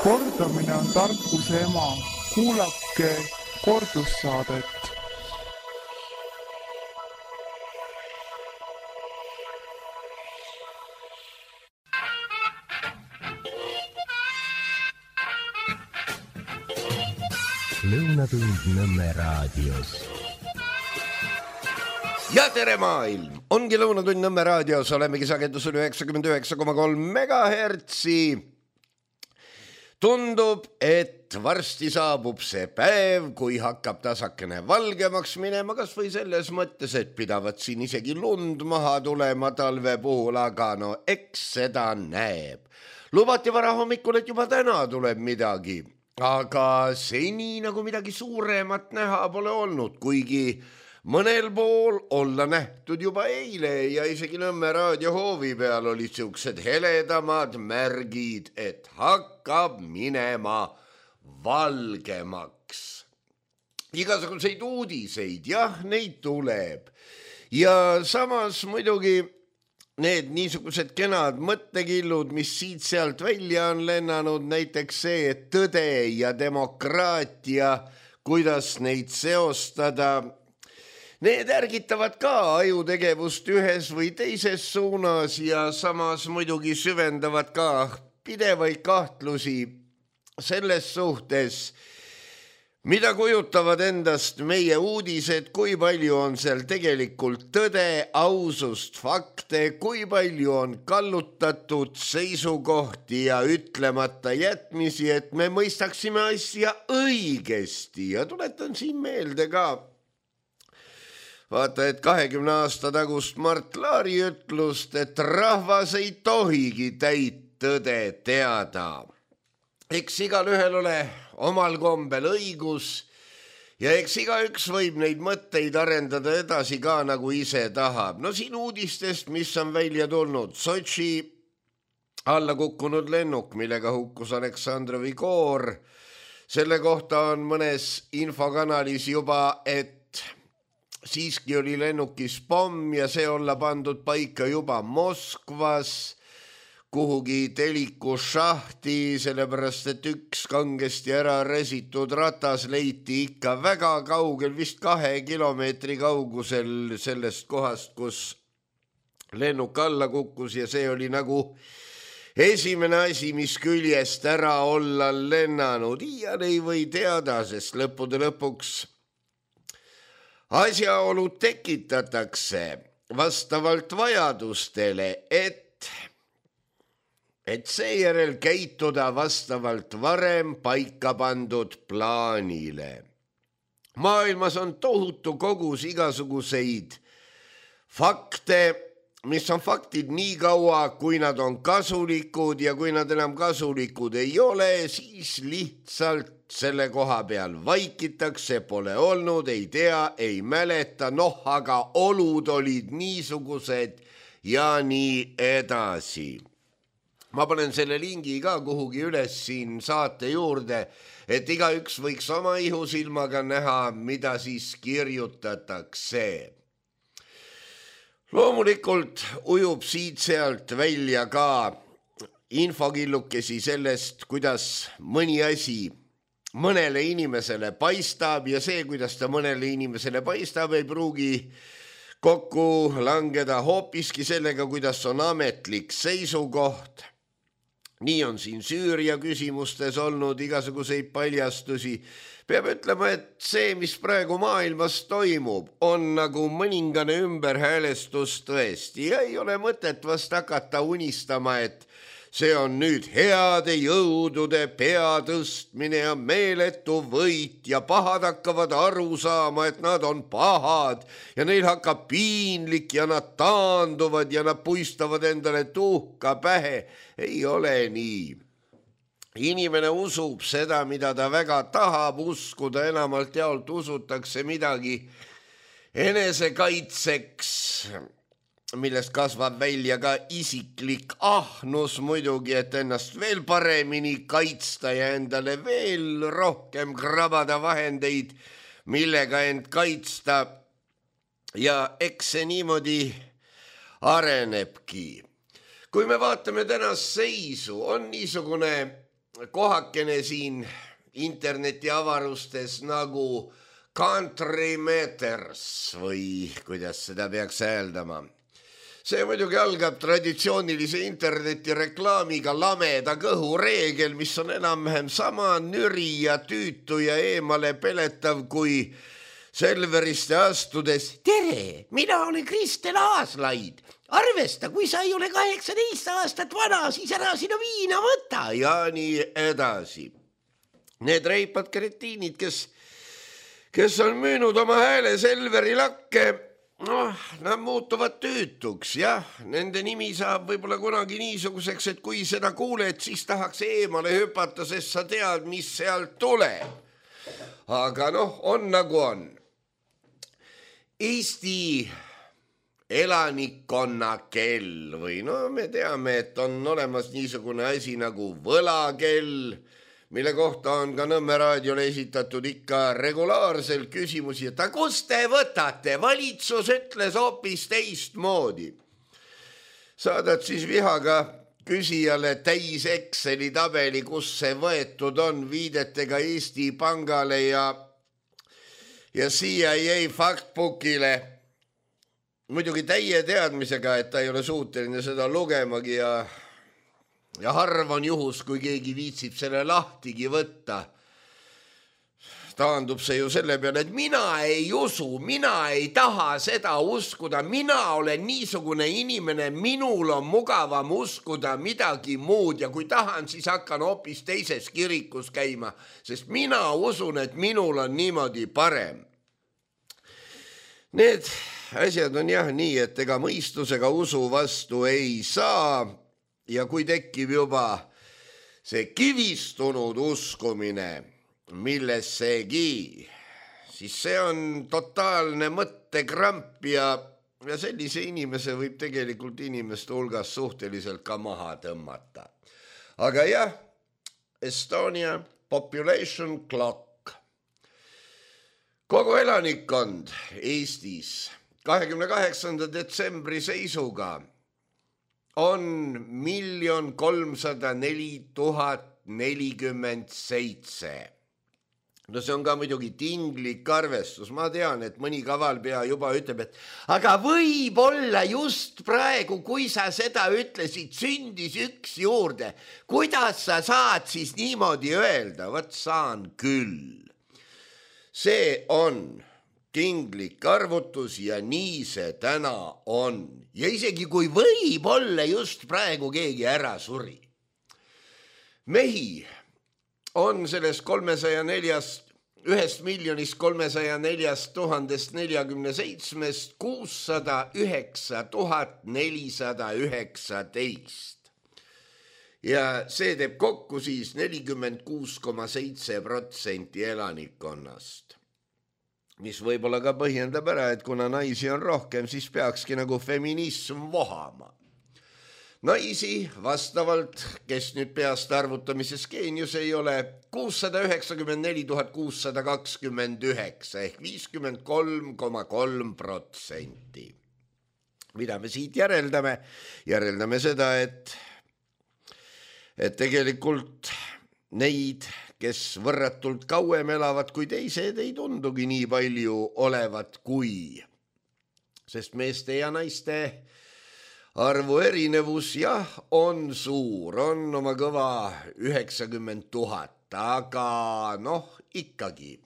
Kordamine on tarkuse ema. Kuulake kordussaadet. Lõunatund Nõmme raadios. Ja tere maailm! Ongi Lõunatund Nõmme raadios, olemegi sagedusel 99,3 megahertsi. Tundub, et varsti saabub see päev, kui hakkab tasakene valgemaks minema, kas või selles mõttes, et pidavat siin isegi lund maha tulema talve puhul, aga no eks seda näeb. Lubati varahommikul, et juba täna tuleb midagi, aga seni nagu midagi suuremat näha pole olnud, kuigi mõnel pool olla nähtud juba eile ja isegi Nõmme raadiohoovi peal olid siuksed heledamad märgid, et hakkab minema valgemaks. Igasuguseid uudiseid, jah, neid tuleb. Ja samas muidugi need niisugused kenad mõttekillud, mis siit-sealt välja on lennanud, näiteks see, et tõde ja demokraatia, kuidas neid seostada, need ärgitavad ka ajutegevust ühes või teises suunas ja samas muidugi süvendavad ka pidevaid kahtlusi selles suhtes, mida kujutavad endast meie uudised, kui palju on seal tegelikult tõde, ausust, fakte, kui palju on kallutatud seisukohti ja ütlemata jätmisi, et me mõistaksime asja õigesti. Ja tuletan siin meelde ka, vaata, et 20 aasta tagust Mart Laari ütlust, et rahvas ei tohigi täit tõde teada. Eks igalühel ole omal kombel õigus ja eks igaüks võib neid mõtteid arendada edasi ka nagu ise tahab. No siin uudistest, mis on välja tulnud, Sotši alla kukkunud lennuk, millega hukkus Aleksandrovi koor. Selle kohta on mõnes infokanalis juba, et siiski oli lennukis pomm ja see olla pandud paika juba Moskvas kuhugi teliku šahti, sellepärast et üks kangesti ära resitud ratas leiti ikka väga kaugel, vist 2 kilomeetri kaugusel sellest kohast, kus lennuk alla kukkus ja see oli nagu esimene asi, mis küljest ära olla lennanud. Iial ei või teada, sest lõppude lõpuks asjaolud tekitatakse vastavalt vajadustele, et seejärel käituda vastavalt varem paika pandud plaanile. Maailmas on tohutu kogus igasuguseid fakte, mis on faktid nii kaua, kui nad on kasulikud ja kui nad enam kasulikud ei ole, siis lihtsalt selle koha peal vaikitakse, pole olnud, ei tea, ei mäleta, aga olud olid niisugused ja nii edasi. Ma panen selle lingi ka kuhugi üles siin saate juurde, et igaüks võiks oma ihusilmaga näha, mida siis kirjutatakse. Loomulikult ujub siit-sealt välja ka infokillukesi sellest, kuidas mõni asi mõnele inimesele paistab ja see, kuidas ta mõnele inimesele paistab, ei pruugi kokku langeda hoopiski sellega, kuidas on ametlik seisukoht. Nii on siin Süüria küsimustes olnud igasuguseid paljastusi. Peab ütlema, et see, mis praegu maailmas toimub, on nagu mõningane ümberhäälestus tõesti ja ei ole mõtet vast hakata unistama, et see on nüüd heade jõudude peatõstmine ja meeletu võit ja pahad hakkavad aru saama, et nad on pahad ja neil hakkab piinlik ja nad taanduvad ja nad puistavad endale tuhka pähe. Ei ole nii. Inimene usub seda, mida ta väga tahab uskuda, enamalt jaolt usutakse midagi enesekaitseks, millest kasvab välja ka isiklik ahnus muidugi, et ennast veel paremini kaitsta ja endale veel rohkem krabada vahendeid, millega end kaitsta. Ja eks see niimoodi arenebki. Kui me vaatame tänast seisu, on niisugune kohakene siin internetiavarustes nagu Country Meters või kuidas seda peaks hääldama. See muidugi algab traditsioonilise internetireklaamiga lameda kõhu reegel, mis on enam-vähem sama nüri ja tüütu ja eemale peletav kui Selveriste astudes. Tere, mina olen Kristel Aaslaid. Arvesta, kui sa ei ole 18 aastat vana, siis ära sinu viina võta ja nii edasi. Need reipad kretiinid, kes on müünud oma hääle Selveri lakke, nad muutuvad tüütuks, jah. Nende nimi saab võib-olla kunagi niisuguseks, et kui seda kuuled, siis tahaks eemale hüpata, sest sa tead, mis sealt tuleb. Aga on nagu on. Eesti elanikkonna kell või me teame, et on olemas niisugune asi nagu võlakell, mille kohta on ka Nõmme raadiole esitatud ikka regulaarselt küsimusi, et kust te võtate? Valitsus ütles hoopis teistmoodi. Saadad siis vihaga küsijale täis Exceli tabeli, kus see võetud on viidetega Eesti Pangale ja CIA faktbookile. Muidugi täie teadmisega, et ta ei ole suuteline seda lugemagi ja harv on juhus, kui keegi viitsib selle lahtigi võtta. Taandub see ju selle peale, et mina ei usu, mina ei taha seda uskuda, mina olen niisugune inimene, minul on mugavam uskuda midagi muud ja kui tahan, siis hakkan hoopis teises kirikus käima, sest mina usun, et minul on niimoodi parem. Need asjad on jah nii, et ega mõistusega usu vastu ei saa. Ja kui tekib juba see kivistunud uskumine millessegi, siis see on totaalne mõttekramp ja sellise inimese võib tegelikult inimeste hulgas suhteliselt ka maha tõmmata. Aga jah, Estonia population clock. Kogu elanikkond Eestis 28. detsembri seisuga on 1 304 047. No see on ka muidugi tinglik arvestus. Ma tean, et mõni kavalpea juba ütleb, et aga võib-olla just praegu, kui sa seda ütlesid, sündis üks juurde. Kuidas sa saad siis niimoodi öelda? Võt saan küll. See on tinglik arvutus ja nii see täna on. Ja isegi kui võib-olla just praegu keegi ära suri. Mehi on sellest 1 304 047 609 419. Ja see teeb kokku siis 46,7% elanikkonnast. Mis võib-olla ka põhjendab ära, et kuna naisi on rohkem, siis peakski nagu feminism vohama. Naisi vastavalt, kes nüüd peast arvutamises geenius ei ole, 694 629 ehk 53,3%. Mida me siit järeldame? Järeldame seda, et tegelikult neid, kes võrratult kauem elavad kui teised, ei tundugi nii palju olevat kui. Sest meeste ja naiste arvu erinevus jah on suur, on oma kõva 90 000, aga ikkagi.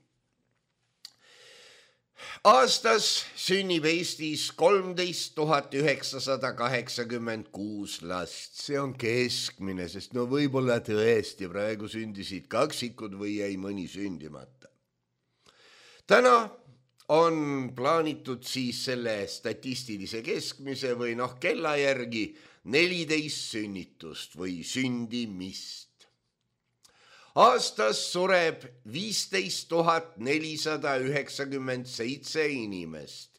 Aastas sünnib Eestis 13 986 last. See on keskmine, sest võib-olla tõesti praegu sündisid kaksikud või jäi mõni sündimata. Täna on plaanitud siis selle statistilise keskmise või kella järgi 14 sünnitust või sündimist. Aastas sureb 15 497 inimest,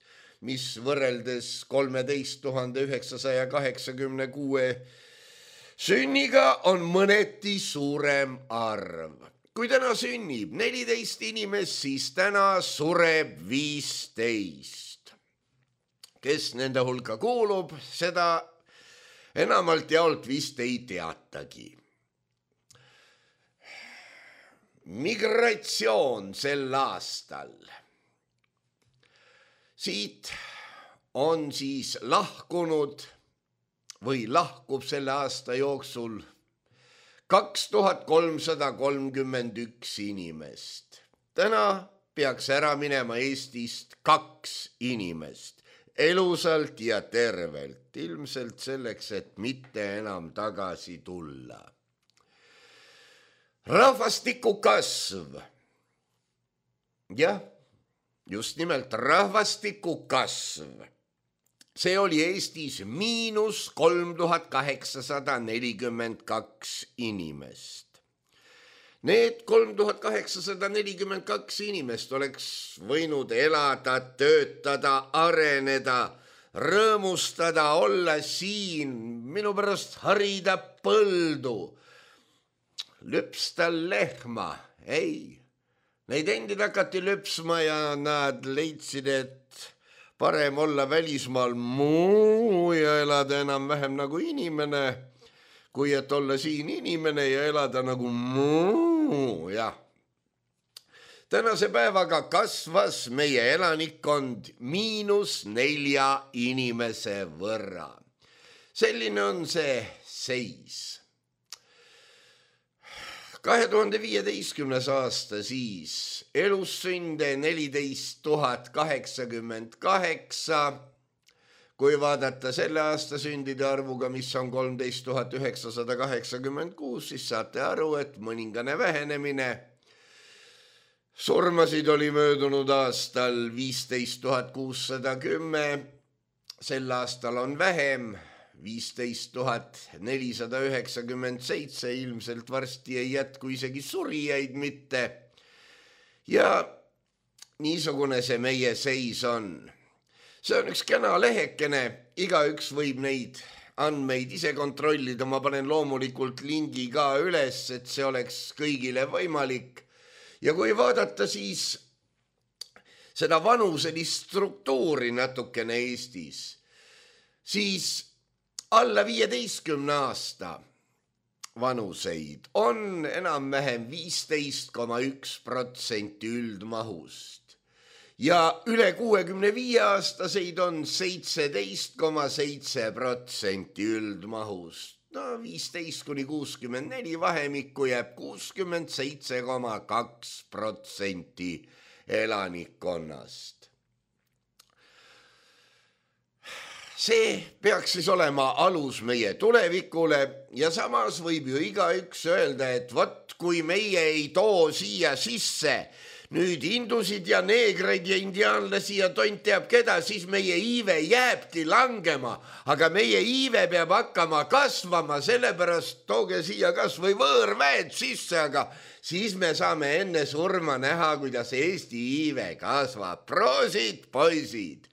mis võrreldes 13 986 sünniga on mõneti suurem arv. Kui täna sünnib 14 inimest, siis täna sureb 15. Kes nende hulka kuulub, seda enamalt jaolt vist ei teatagi. migratsioon sel aastal. Siit on siis lahkunud või lahkub selle aasta jooksul 2331 inimest. Täna peaks ära minema Eestist 2 inimest, elusalt ja tervelt, ilmselt selleks, et mitte enam tagasi tulla. Rahvastiku kasv. Jah, just nimelt rahvastiku kasv. See oli Eestis -3842 inimest. Need 3842 inimest oleks võinud elada, töötada, areneda, rõõmustada, olla siin, minu pärast harida põldu, lüpsta lehma. Ei, neid endid hakati lüpsma ja nad leidsid, et parem olla välismaal muu ja elada enam-vähem nagu inimene, kui et olla siin inimene ja elada nagu muu, jah. Tänase päevaga kasvas meie elanikkond -4 inimese võrra. Selline on see seis. 2015. aasta siis elussünde 14 088. Kui vaadata selle aasta sündide arvuga, mis on 13 986, siis saate aru, et mõningane vähenemine. Surmasid oli möödunud aastal 15 610, sel aastal on vähem, 15 497, ilmselt varsti ei jätku isegi surijaid mitte. Ja niisugune see meie seis on. See on üks kena lehekene, igaüks võib neid andmeid ise kontrollida, ma panen loomulikult lingi ka üles, et see oleks kõigile võimalik. Ja kui vaadata siis seda vanuselist struktuuri natukene Eestis, siis alla 15 aasta vanuseid on enam-vähem 15,1% üldmahust. Ja üle 65 aastaseid on 17,7% üldmahust. No 15 kuni 64 vahemikku jääb 67,2% elanikkonnast. See peaks siis olema alus meie tulevikule ja samas võib ju igaüks öelda, et vot kui meie ei too siia sisse nüüd hindusid ja neegreid ja indiaanlasi ja tont teab keda, siis meie iive jääbki langema, aga meie iive peab hakkama kasvama, sellepärast tooge siia kas või võõrväed sisse, aga siis me saame enne surma näha, kuidas Eesti iive kasvab. Proosid, poisid!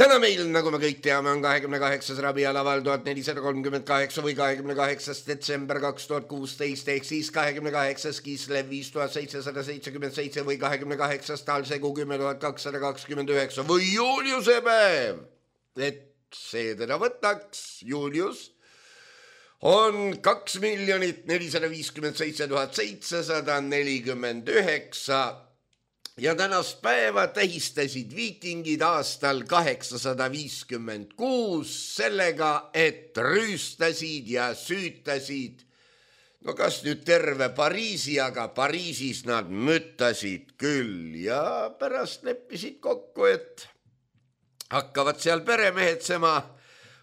Täna meil, nagu me kõik teame, on 28. rabialaval 1438 või 28. detsember 2016 ehk siis 28. Kislev 5777 või 28. talsegu 10229 või Juliuse päev. Et see teda võtaks, Julius, on 2 457 749 ja tänast päeva tähistasid viikingid aastal 856 sellega, et rüüstasid ja süütasid, no kas nüüd terve Pariisi, aga Pariisis nad müttasid küll ja pärast leppisid kokku, et hakkavad seal peremehetsema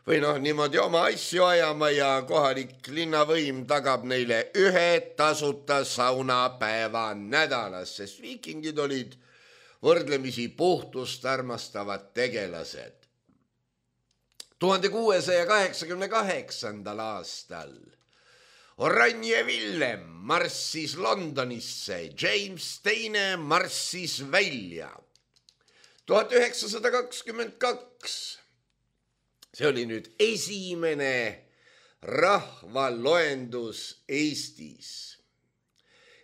või noh, niimoodi oma asju ajama ja kohalik linnavõim tagab neile 1 tasuta saunapäeva nädalas, sest viikingid olid võrdlemisi puhtust armastavad tegelased. 1688. aastal Oranje Villem marssis Londonisse, James II marssis välja. 1922 see oli nüüd esimene rahvaloendus Eestis.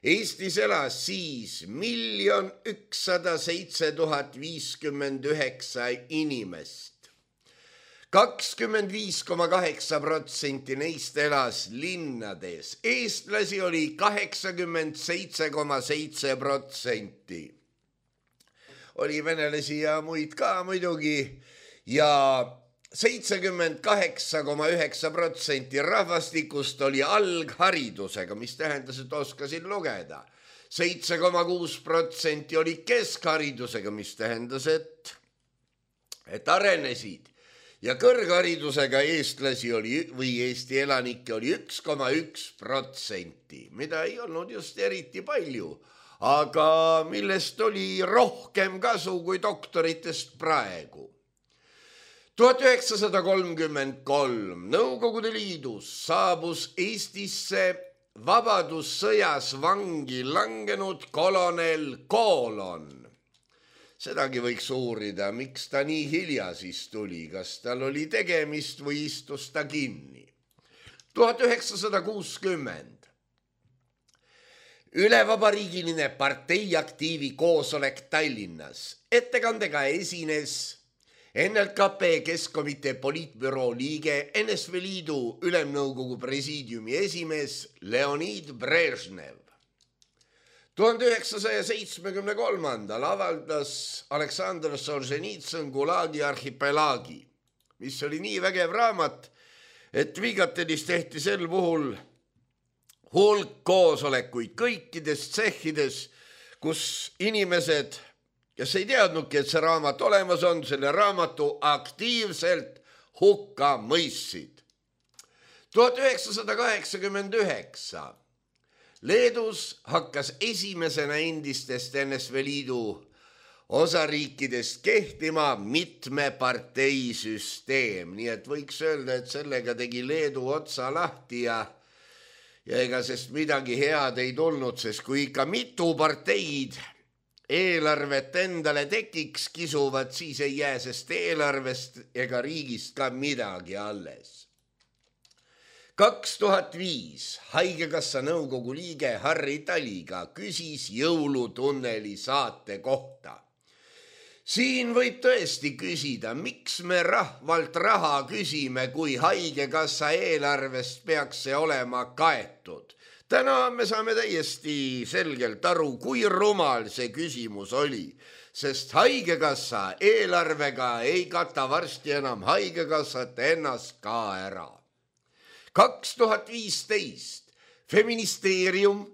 Eestis elas siis 1 107 059 inimest. 25,8% neist elas linnades. Eestlasi oli 87,7%. Oli venelasi ja muid ka muidugi ja 78,9% rahvastikust oli algharidusega, mis tähendas, et oskasid lugeda. 7,6% oli keskharidusega, mis tähendas, et arenesid. Ja kõrgharidusega eestlasi oli või Eesti elanikke oli 1,1%, mida ei olnud just eriti palju, aga millest oli rohkem kasu kui doktoritest praegu. 1933 Nõukogude Liidus saabus Eestisse vabadussõjas vangi langenud kolonel Koolon. Sedagi võiks uurida, miks ta nii hilja siis tuli, kas tal oli tegemist või istus ta kinni. 1960 ülevabariigiline parteiaktiivi koosolek Tallinnas. Ettekandega esines NLKP Keskkomitee poliitbüroo liige, NSV Liidu Ülemnõukogu presiidiumi esimees Leonid Brežnev. 1973 avaldas Aleksandr Solženitsõn Gulagi arhipelaagi, mis oli nii vägev raamat, et Vigatelis tehti sel puhul hulk koosolekuid kõikides tsehhides, kus inimesed, kes ei teadnudki, et see raamat olemas on, selle raamatu aktiivselt hukka mõistsid. 1989 Leedus hakkas esimesena endistest NSV Liidu osariikidest kehtima mitmeparteisüsteem, nii et võiks öelda, et sellega tegi Leedu otsa lahti ja ega sest midagi head ei tulnud, sest kui ikka mitu parteid eelarvet endale tekiks kisuvad, siis ei jää sest eelarvest ega riigist ka midagi alles. 2005 Haigekassa nõukogu liige Harri Taliga küsis Jõulutunneli saate kohta. Siin võib tõesti küsida, miks me rahvalt raha küsime, kui Haigekassa eelarvest peaks see olema kaetud. Täna me saame täiesti selgelt aru, kui rumal see küsimus oli, sest Haigekassa eelarvega ei kata varsti enam Haigekassat ennast ka ära. 2015 Feministeerium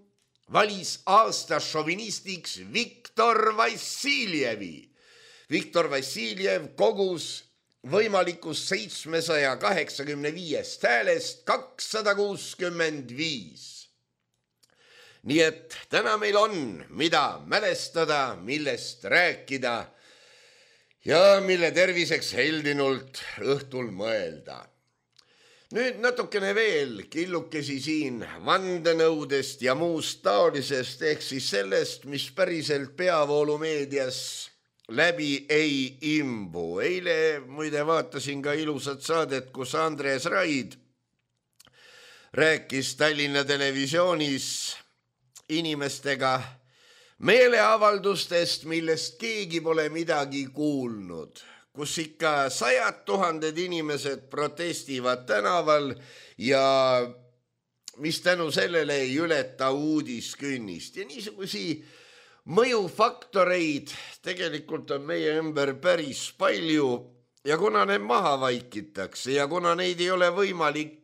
valis aasta šovinistiks Viktor Vassiljevi. Viktor Vassiljev kogus võimalikus 785 häälest 265. Nii et täna meil on, mida mälestada, millest rääkida ja mille terviseks heldinult õhtul mõelda. Nüüd natukene veel killukesi siin vandenõudest ja muust taolisest, ehk siis sellest, mis päriselt peavoolumeedias läbi ei imbu. Eile muide vaatasin ka ilusat saadet, kus Andres Raid rääkis Tallinna televisioonis inimestega meeleavaldustest, millest keegi pole midagi kuulnud, kus ikka 100 000 inimesed protestivad tänaval ja mis tänu sellele ei ületa uudiskünnist. Ja niisugusi mõjufaktoreid tegelikult on meie ümber päris palju ja kuna need maha vaikitakse ja kuna neid ei ole võimalik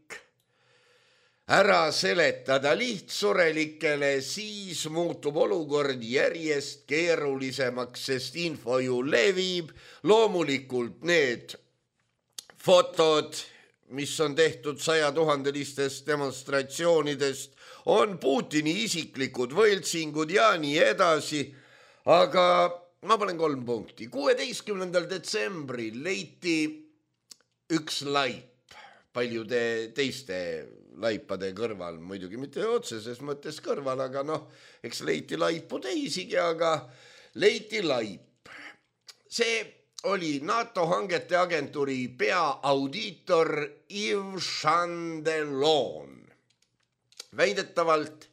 ära seletada lihtsurelikele, siis muutub olukord järjest keerulisemaks, sest info ju levib. Loomulikult need fotod, mis on tehtud 100 000-listest demonstratsioonidest, on Putini isiklikud võltsingud ja nii edasi. Aga ma panen 3 punkti. 16. detsembril leiti üks laip paljude teiste laipade kõrval, muidugi mitte otseses mõttes kõrval, aga eks leiti laipu teisigi, aga leiti laip. See oli NATO hangete agentuuri peaaudiitor Yves Chandelon. Väidetavalt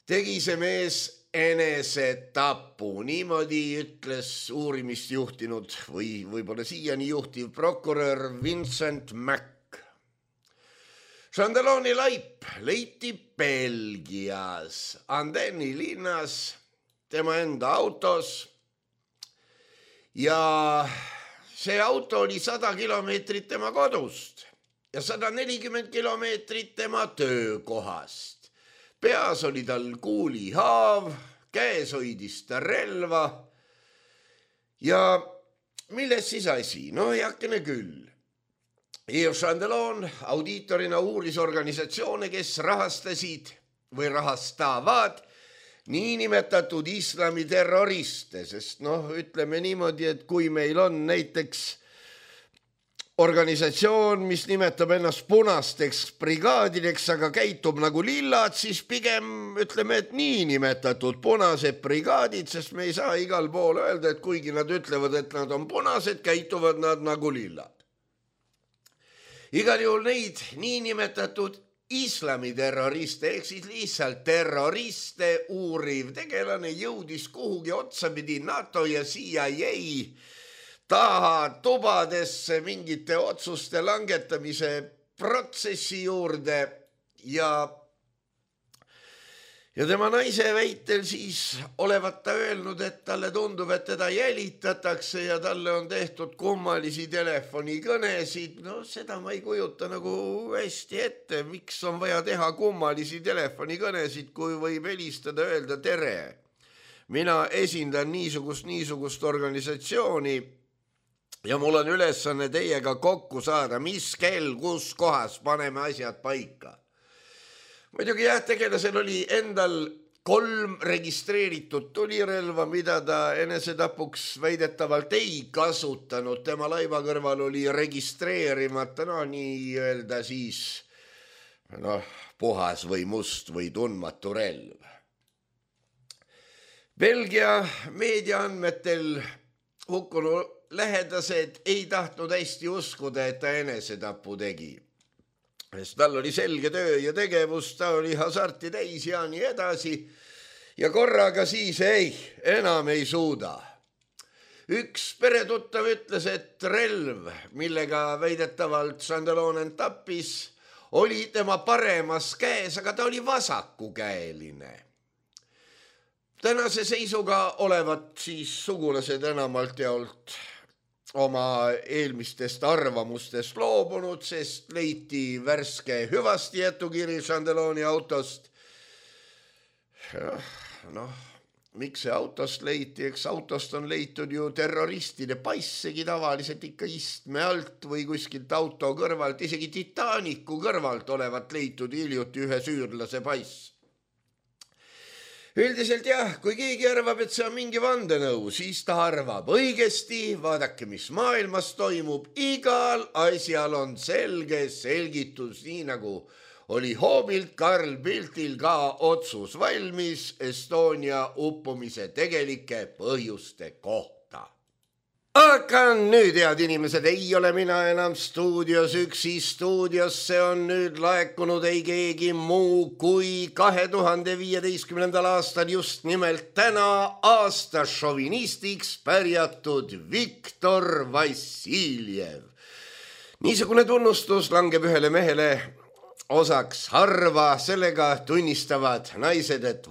tegi see mees enesetapu. Niimoodi ütles uurimist juhtinud või võib-olla siiani juhtiv prokurör Vincent Mack. Chandelloni laip leiti Belgias, Andeni linnas, tema enda autos ja see auto oli 100 kilomeetrit tema kodust ja 140 kilomeetrit tema töökohast. Peas oli tal kuulihaav, käes hoidis ta relva ja milles siis asi? No heakene küll. Yves Chandellon audiitorina uuris organisatsioone, kes rahastasid või rahastavad niinimetatud islamiterroriste, sest ütleme niimoodi, et kui meil on näiteks organisatsioon, mis nimetab ennast punasteks brigaadideks, aga käitub nagu lillad, siis pigem ütleme, et niinimetatud punased brigaadid, sest me ei saa igal pool öelda, et kuigi nad ütlevad, et nad on punased, käituvad nad nagu lillad. Igal juhul neid niinimetatud islamiterroriste ehk siis lihtsalt terroriste uuriv tegelane jõudis kuhugi otsapidi NATO ja CIA taha tubadesse mingite otsuste langetamise protsessi juurde ja tema naise väitel siis olevat ta öelnud, et talle tundub, et teda jälitatakse ja talle on tehtud kummalisi telefonikõnesid. Seda ma ei kujuta nagu hästi ette, miks on vaja teha kummalisi telefonikõnesid, kui võib helistada öelda tere. Mina esindan niisugust organisatsiooni ja mul on ülesanne teiega kokku saada, mis kell, kus kohas paneme asjad paika. Muidugi tegelasel oli endal 3 registreeritud tulirelva, mida ta enesetapuks väidetavalt ei kasutanud. Tema laiva kõrval oli registreerimata, nii öelda siis puhas või must või tundmatu relv. Belgia meediaandmetel hukkunu lähedased ei tahtnud hästi uskuda, et ta enesetapu tegi. Sest tal oli selge töö ja tegevus, ta oli hasarti täis ja nii edasi. Ja korraga siis enam ei suuda. Üks peretuttav ütles, et relv, millega väidetavalt Chandellon end tappis, oli tema paremas käes, aga ta oli vasakukäeline. Tänase seisuga olevat siis sugulased enamalt jaolt oma eelmistest arvamustest loobunud, sest leiti värske hüvastijätukiri Chandelloni autost. Miks see autost leiti? Eks autost on leitud ju terroristide passegi tavaliselt ikka istme alt või kuskilt auto kõrvalt, isegi Titanicu kõrvalt olevat leitud hiljuti ühe süürlase pass. Üldiselt kui keegi arvab, et see on mingi vandenõu, siis ta arvab õigesti, vaadake, mis maailmas toimub, igal asjal on selge selgitus, nii nagu oli hoobilt Carl Bildtil ka otsus valmis Estonia uppumise tegelike põhjuste kohta. Aga nüüd, head inimesed, ei ole mina enam stuudios üksi. Stuudiosse on nüüd laekunud ei keegi muu kui 2015. aastal just nimelt täna aasta šovinistiks pärjatud Viktor Vassiljev. Niisugune tunnustus langeb ühele mehele osaks harva, sellega tunnistavad naised, et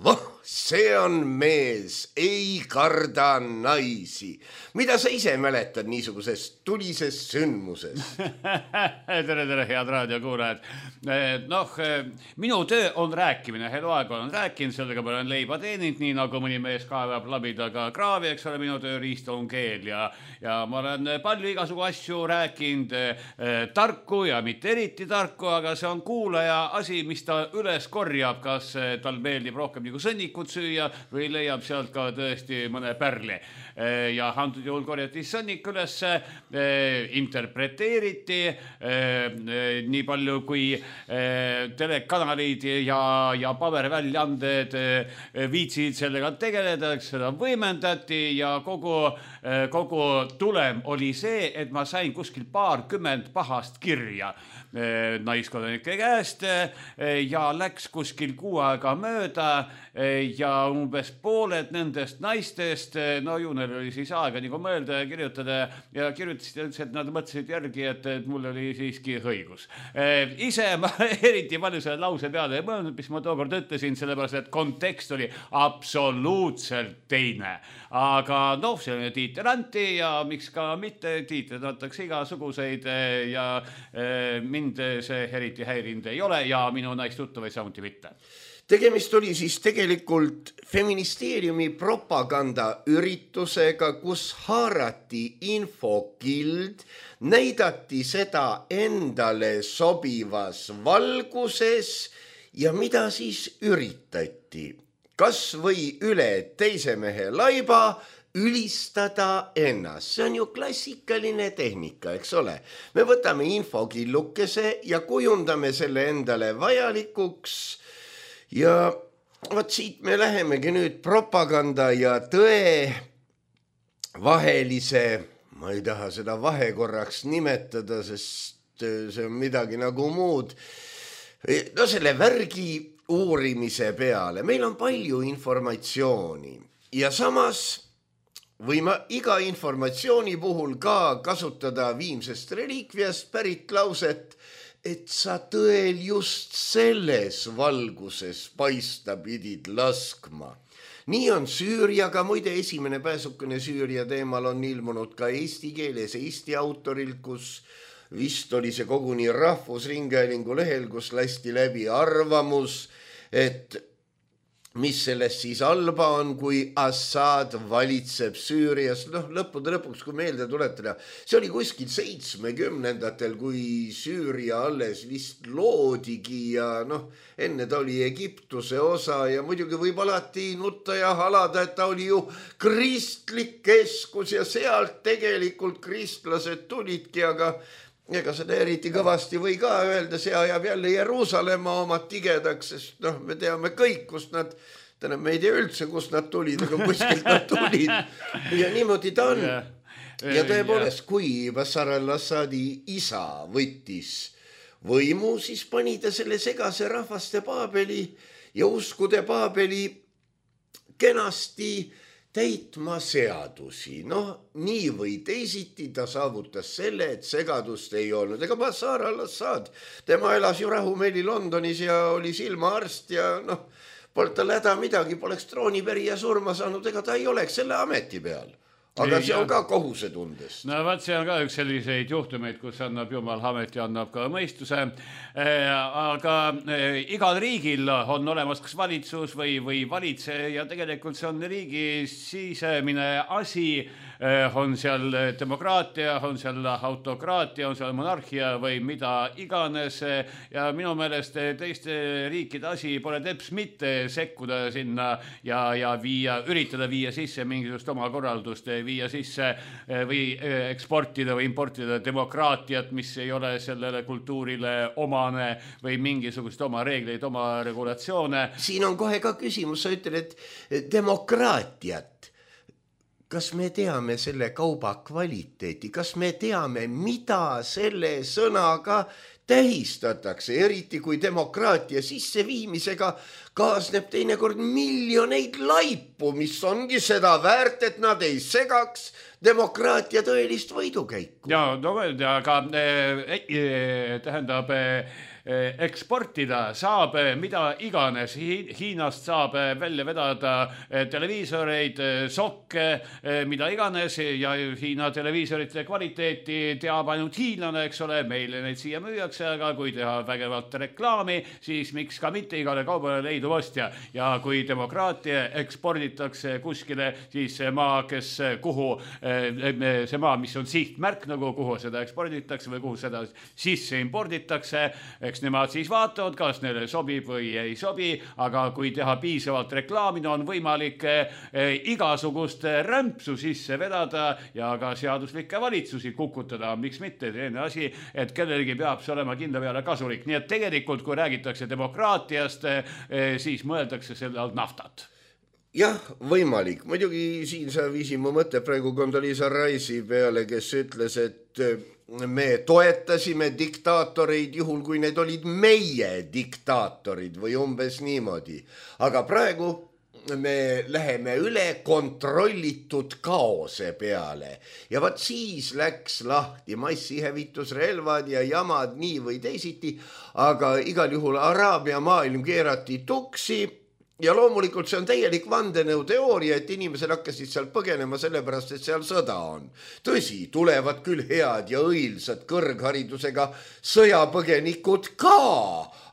see on mees, ei karda naisi. Mida sa ise mäletad niisugusest tulisest sündmusest? Tere, head raadiokuulajad. Minu töö on rääkimine, eluaeg olen rääkinud, sellega ma olen leiba teeninud, nii nagu mõni mees kaevab labidaga kraavi, eks ole, minu tööriist on keel ja ma olen palju igasugu asju rääkinud, tarku ja mitte eriti tarku, aga see on kuulaja asi, mis ta üles korjab, kas tal meeldib rohkem nagu sõnnikut süüa või leiab sealt ka tõesti mõne pärli. Ja antud juhul korjati sõnnik üles, interpreteeriti nii palju kui telekanalid ja paberväljaanded viitsid sellega tegeleda, seda võimendati ja kogu tulem oli see, et ma sain kuskil 20 pahast kirja naiskodanike käest ja läks kuskil 6 aega mööda ja umbes pooled nendest naistest, no ju neil oli siis aega nagu mõelda ja kirjutada ja kirjutasid üldse, et nad mõtlesid järgi, et mul oli siiski õigus. Ise ma eriti palju selle lause peale ei mõelnud, mis ma tookord ütlesin, sellepärast, et kontekst oli absoluutselt teine. Aga noh, see on tiitel anti ja miks ka mitte, tiitled antakse igasuguseid ja mind see eriti häirinud ei ole ja minu naistuttavaid samuti mitte. Tegemist oli siis tegelikult feministeeriumi propagandaüritusega, kus haarati infokild, näidati seda endale sobivas valguses ja mida siis üritati? Kas või üle teise mehe laiba ülistada ennast. See on ju klassikaline tehnika, eks ole. Me võtame infokillukese ja kujundame selle endale vajalikuks ja võt siit me lähemegi nüüd propaganda ja tõe vahelise, ma ei taha seda vahekorraks nimetada, sest see on midagi nagu muud. No selle värgi uurimise peale. Meil on palju informatsiooni ja samas võime iga informatsiooni puhul ka kasutada viimsest reliikviast pärit lauset, et sa tõel just selles valguses paista pidid laskma. Nii on Süüriaga, muide esimene pääsukene Süüria teemal on ilmunud ka eesti keeles Eesti autoril, kus vist oli see koguni Rahvusringhäälingu lehel, kus lasti läbi arvamus, et mis sellest siis halba on, kui Assad valitseb Süürias. Lõppude lõpuks, kui meelde tuletada, see oli kuskil 70-ndatel, kui Süüria alles vist loodigi ja enne ta oli Egiptuse osa ja muidugi võib alati nutta ja halada, et ta oli ju kristlik keskus ja sealt tegelikult kristlased tulidki, aga ega seda eriti kõvasti või ka öelda, see ajab jälle Jeruusalemma omad tigedaks, sest me teame kõik, kust nad, me ei tea üldse, kust nad tulid, aga kuskilt nad tulid. Ja niimoodi ta on. Ja tõepoolest, kui Bashar al-Assadi isa võttis võimu, siis pani ta selle segase rahvaste paabeli ja uskude paabeli kenasti täitma seadusi. Nii või teisiti ta saavutas selle, et segadust ei olnud. Ega Bashar al-Assad, tema elas ju rahumeeli Londonis ja oli silmaarst ja polnud tal häda midagi, poleks troonipärija surma saanud, ega ta ei oleks selle ameti peal. Aga see on ka kohusetundest. No vaat see on ka üks selliseid juhtumeid, kus annab Jumal ameti, annab ka mõistuse. Aga igal riigil on olemas kas valitsus või valitse ja tegelikult see on riigi sisemine asi. On seal demokraatia, on seal autokraatia, on seal monarhia või mida iganes. Ja minu meelest teiste riikide asi pole teps mitte sekkuda sinna ja üritada viia sisse mingisugust oma korraldust, viia sisse või eksportida või importida demokraatiat, mis ei ole sellele kultuurile omane või mingisugust oma reegleid, oma regulatsioone. Siin on kohe ka küsimus, sa ütled, et demokraatiat. Kas me teame selle kauba kvaliteeti? Kas me teame, mida selle sõnaga tähistatakse, eriti kui demokraatia sisseviimisega kaasneb teinekord miljoneid laipu, mis ongi seda väärt, et nad ei segaks demokraatia tõelist võidukäiku. Ja, aga tähendab, eksportida saab mida iganes. Hiinast saab välja vedada televiisoreid, sokke, mida iganes ja Hiina televiisorite kvaliteeti teab ainult hiinlane, eks ole, meile neid siia müüakse, aga kui teha vägevalt reklaami, siis miks ka mitte igale kaubale leidub ostja. Ja kui demokraatia eksporditakse kuskile, siis see maa, see maa, mis on sihtmärk, nagu kuhu seda eksporditakse või kuhu seda sisse imporditakse, eks nemad siis vaatavad, kas neile sobib või ei sobi, aga kui teha piisavalt reklaami, on võimalik igasugust rämpsu sisse vedada ja ka seaduslikke valitsusi kukutada. Miks mitte? Teine asi, et kellelgi peab see olema kindla peale kasulik. Nii et tegelikult, kui räägitakse demokraatiast, siis mõeldakse selle all naftat. Jah, võimalik. Muidugi siin sa viisin mu mõtte praegu Condoleezza Rice'i peale, kes ütles, et me toetasime diktaatoreid juhul, kui need olid meie diktaatorid või umbes niimoodi. Aga praegu me läheme üle kontrollitud kaose peale ja vaat siis läks lahti massihävitusrelvad ja jamad nii või teisiti, aga igal juhul Araabia maailm keerati tuksi ja loomulikult see on täielik vandenõuteooria, et inimesed hakkasid seal põgenema sellepärast, et seal sõda on. Tõsi, tulevad küll head ja õilsad kõrgharidusega sõjapõgenikud ka,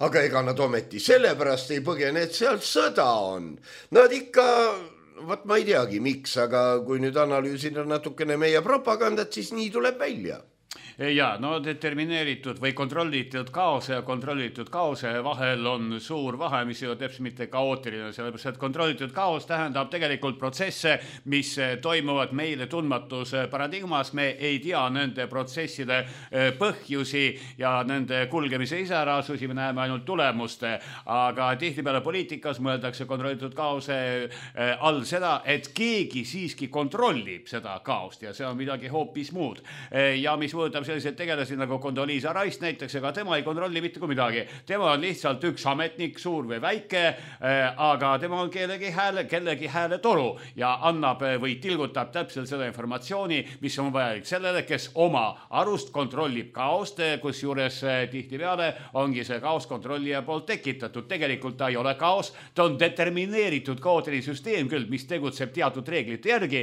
aga ega nad ometi sellepärast ei põgene, et seal sõda on. Nad ikka, ma ei teagi miks, aga kui nüüd analüüsida natukene meie propagandat, siis nii tuleb välja. Ja, no determineeritud või kontrollitud kaose ja kontrollitud kaose vahel on suur vahe, mis ei ole täpselt mitte kaootiline, sellepärast et kontrollitud kaos tähendab tegelikult protsesse, mis toimuvad meile tundmatus paradigmas. Me ei tea nende protsesside põhjusi ja nende kulgemise iseärasusi, me näeme ainult tulemuste, aga tihtipeale poliitikas mõeldakse kontrollitud kaose all seda, et keegi siiski kontrollib seda kaost ja see on midagi hoopis muud. Ja mis mõõdab sellised tegelasi nagu Condoleezza Rice näiteks, ega tema ei kontrolli mitte kui midagi. Tema on lihtsalt üks ametnik, suur või väike, aga tema on kellegi hääle toru ja annab või tilgutab täpselt seda informatsiooni, mis on vajalik sellele, kes oma arust kontrollib kaost, kus juures tihtipeale ongi see kaos kontrollija poolt tekitatud. Tegelikult ta ei ole kaos, ta on determineeritud kaootiline süsteem küll, mis tegutseb teatud reeglite järgi,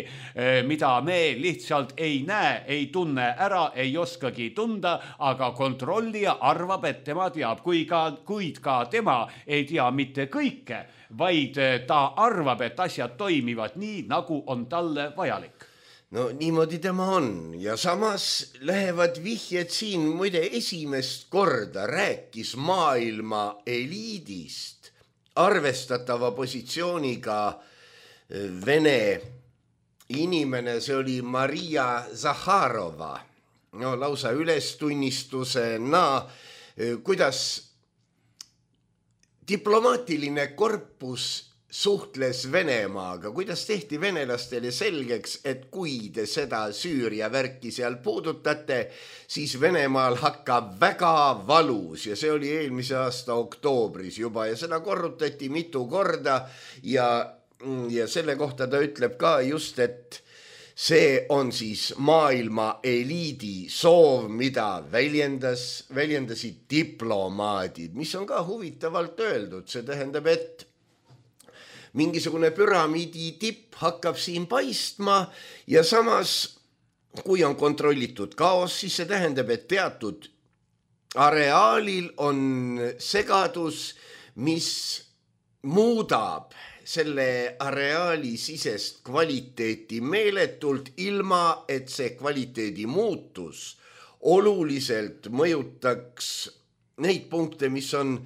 mida me lihtsalt ei näe, ei tunne ära, ei oskagi tunda, aga kontrollija arvab, et tema teab, kuid ka tema ei tea mitte kõike, vaid ta arvab, et asjad toimivad nii, nagu on talle vajalik. No niimoodi tema on ja samas lähevad vihjed siin, muide esimest korda rääkis maailma eliidist arvestatava positsiooniga Vene inimene, see oli Maria Zakharova. No lausa ülestunnistusena, kuidas diplomaatiline korpus suhtles Venemaaga, kuidas tehti venelastele selgeks, et kui te seda Süüria värki seal puudutate, siis Venemaal hakkab väga valus ja see oli eelmise aasta oktoobris juba ja seda korrutati mitu korda ja selle kohta ta ütleb ka just, et see on siis maailma eliidi soov, mida väljendasid diplomaadid, mis on ka huvitavalt öeldud. See tähendab, et mingisugune püramiidi tipp hakkab siin paistma ja samas, kui on kontrollitud kaos, siis see tähendab, et teatud areaalil on segadus, mis muudab selle areaali sisest kvaliteeti meeletult, ilma et see kvaliteedi muutus oluliselt mõjutaks neid punkte, mis on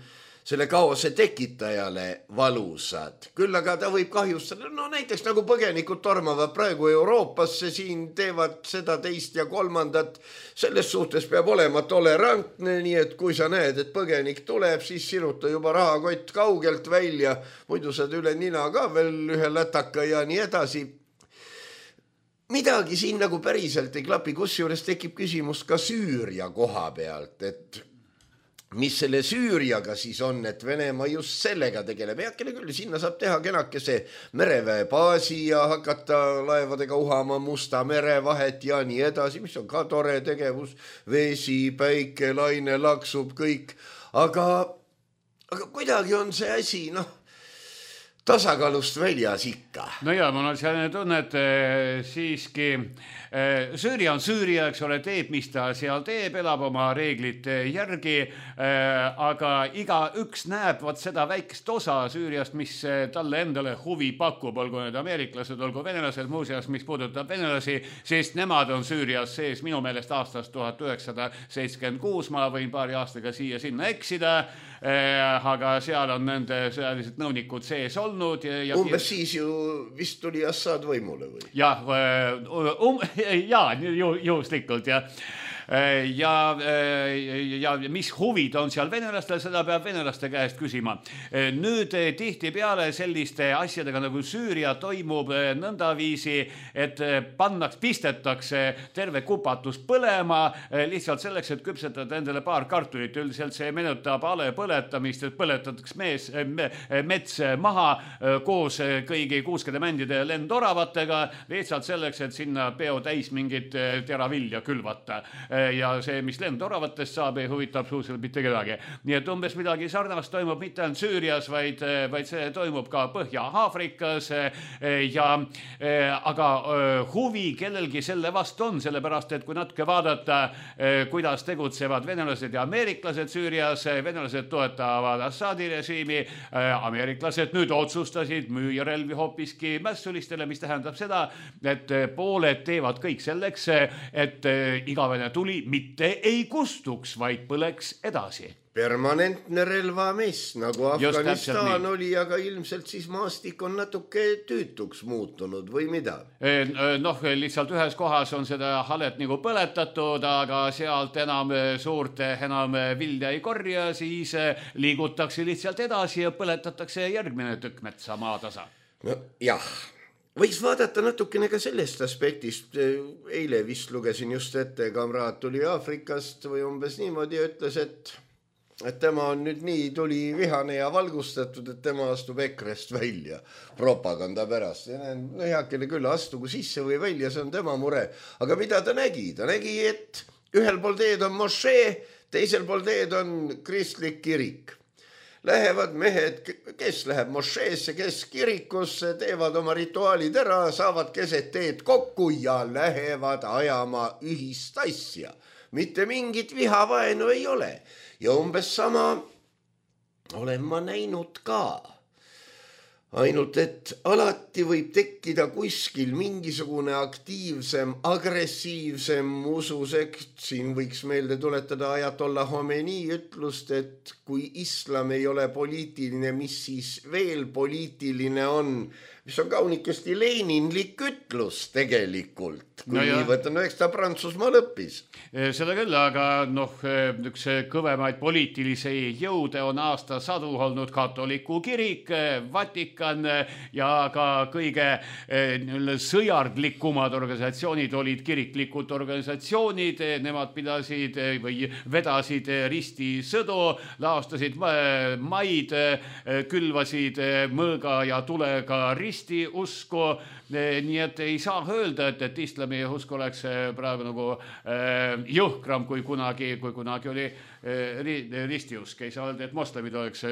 selle kaose tekitajale valusad. Küll aga ta võib kahjustada, no näiteks nagu põgenikud tormavad praegu Euroopasse, siin teevad seda, teist ja kolmandat. Selles suhtes peab olema tolerantne, nii et kui sa näed, et põgenik tuleb, siis siruta juba rahakott kaugelt välja, muidu saad üle nina ka veel ühe lätaka ja nii edasi. Midagi siin nagu päriselt ei klapi, kusjuures tekib küsimus ka Süüria koha pealt, et mis selle Süüriaga siis on, et Venemaa just sellega tegeleb. Heakene küll, sinna saab teha kenakese mereväebaasi ja hakata laevadega uhama Musta mere vahet ja nii edasi, mis on ka tore tegevus. Vesi, päike, laine, laksub, kõik. Aga kuidagi on see asi, tasakaalust väljas ikka. No ja, mul on selline tunne, et siiski Süüria on Süüria, eks ole, teeb, mis ta seal teeb, elab oma reeglite järgi, aga iga üks näeb seda väikest osa Süüriast, mis talle endale huvi pakub, olgu need ameeriklased, olgu venelased, muuseas, mis puudutab venelasi, sest nemad on Süürias sees minu meelest aastast 1976, ma võin paari aastaga siia sinna eksida, aga seal on nende sõjalised nõunikud sees olnud. Umbes siis ju vist tuli Assad võimule või? Jah, juhuslikult, jah. ja mis huvid on seal venelastel, seda peab venelaste käest küsima. Nüüd tihtipeale selliste asjadega nagu Süüria toimub nõndaviisi, et pistetakse terve kupatus põlema lihtsalt selleks, et küpsetada endale paar kartulit. Üldiselt see meenutab ale põletamist, et põletatakse mets maha koos kõigi kuuskede mändide ja lendoravatega lihtsalt selleks, et sinna peo täis mingit teravilja külvata. Ja see, mis lendoravatest saab, ei huvita absoluutselt mitte kedagi. Nii et umbes midagi sarnast toimub mitte ainult Süürias, vaid see toimub ka Põhja-Aafrikas. Aga huvi kellelgi selle vastu on, sellepärast, et kui natuke vaadata, kuidas tegutsevad venelased ja ameeriklased Süürias, venelased toetavad Assadi režiimi, ameeriklased nüüd otsustasid müüa relvi hoopiski mässulistele, mis tähendab seda, et pooled teevad kõik selleks, et igavene tuli mitte ei kustuks, vaid põleks edasi. Permanentne relvamess, nagu Afganistan oli, aga ilmselt siis maastik on natuke tüütuks muutunud või mida? Lihtsalt ühes kohas on seda halet nagu põletatud, aga sealt enam vilja ei korja, siis liigutakse lihtsalt edasi ja põletatakse järgmine tükk metsa maatasa. No jah. Võiks vaadata natukene ka sellest aspektist. Eile vist lugesin just ette, kamraad tuli Aafrikast või umbes niimoodi ja ütles, et tema on nüüd nii tuli vihane ja valgustatud, et tema astub EKRE-st välja propaganda pärast. Heakene küll, astugu sisse või välja, see on tema mure. Aga mida ta nägi? Ta nägi, et ühel pool teed on mošee, teisel pool teed on kristlik kirik. Lähevad mehed, kes läheb mošeesse, kes kirikusse, teevad oma rituaalid ära, saavad keset teed kokku ja lähevad ajama ühist asja. Mitte mingit vihavaenu ei ole. Ja umbes sama olen ma näinud ka. Ainult, et alati võib tekkida kuskil mingisugune aktiivsem, agressiivsem ususekt. Siin võiks meelde tuletada Ajatollah Khomeini ütlust, et kui islam ei ole poliitiline, mis siis veel poliitiline on, mis on kaunikesti leninlik ütlus tegelikult. Kui nii võtan, eks ta Prantsusmaal õppis. Seda küll, aga üks kõvemaid poliitilisi jõude on aastasadu olnud katoliku kirik, Vatikan ja ka kõige sõjardlikumad organisatsioonid olid kiriklikud organisatsioonid. Nemad pidasid või vedasid ristisõdu, laostasid maid, külvasid mõõga ja tulega ristiusku. Nii et ei saa öelda, et islami usk oleks praegu nagu jõhkram kui kunagi oli ristiusk. Ei saa öelda, et moslemid oleks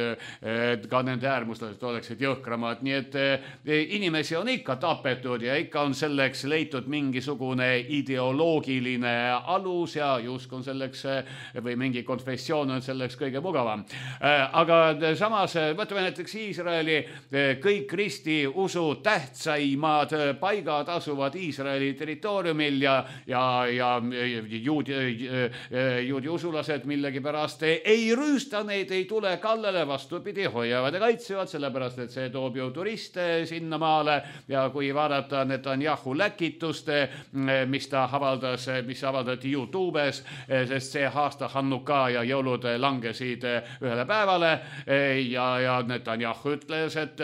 ka nende äärmuslased oleksid jõhkramad. Nii et inimesi on ikka tapetud ja ikka on selleks leitud mingisugune ideoloogiline alus ja usk on selleks või mingi konfessioon on selleks kõige mugavam. Aga samas võtame näiteks Iisraeli, kõik ristiusu tähtsaimad paigad asuvad Iisraeli territooriumil ja juudi usulased millegipärast ei rüüsta neid, ei tule kallale, vastupidi, hoiavad ja kaitsevad, sellepärast et see toob ju turiste sinna maale ja kui vaadata Netanyahu läkitust, mis avaldati YouTubes, sest see aasta Hannuka ja jõulud langesid ühele päevale ja Netanyahu ütles, et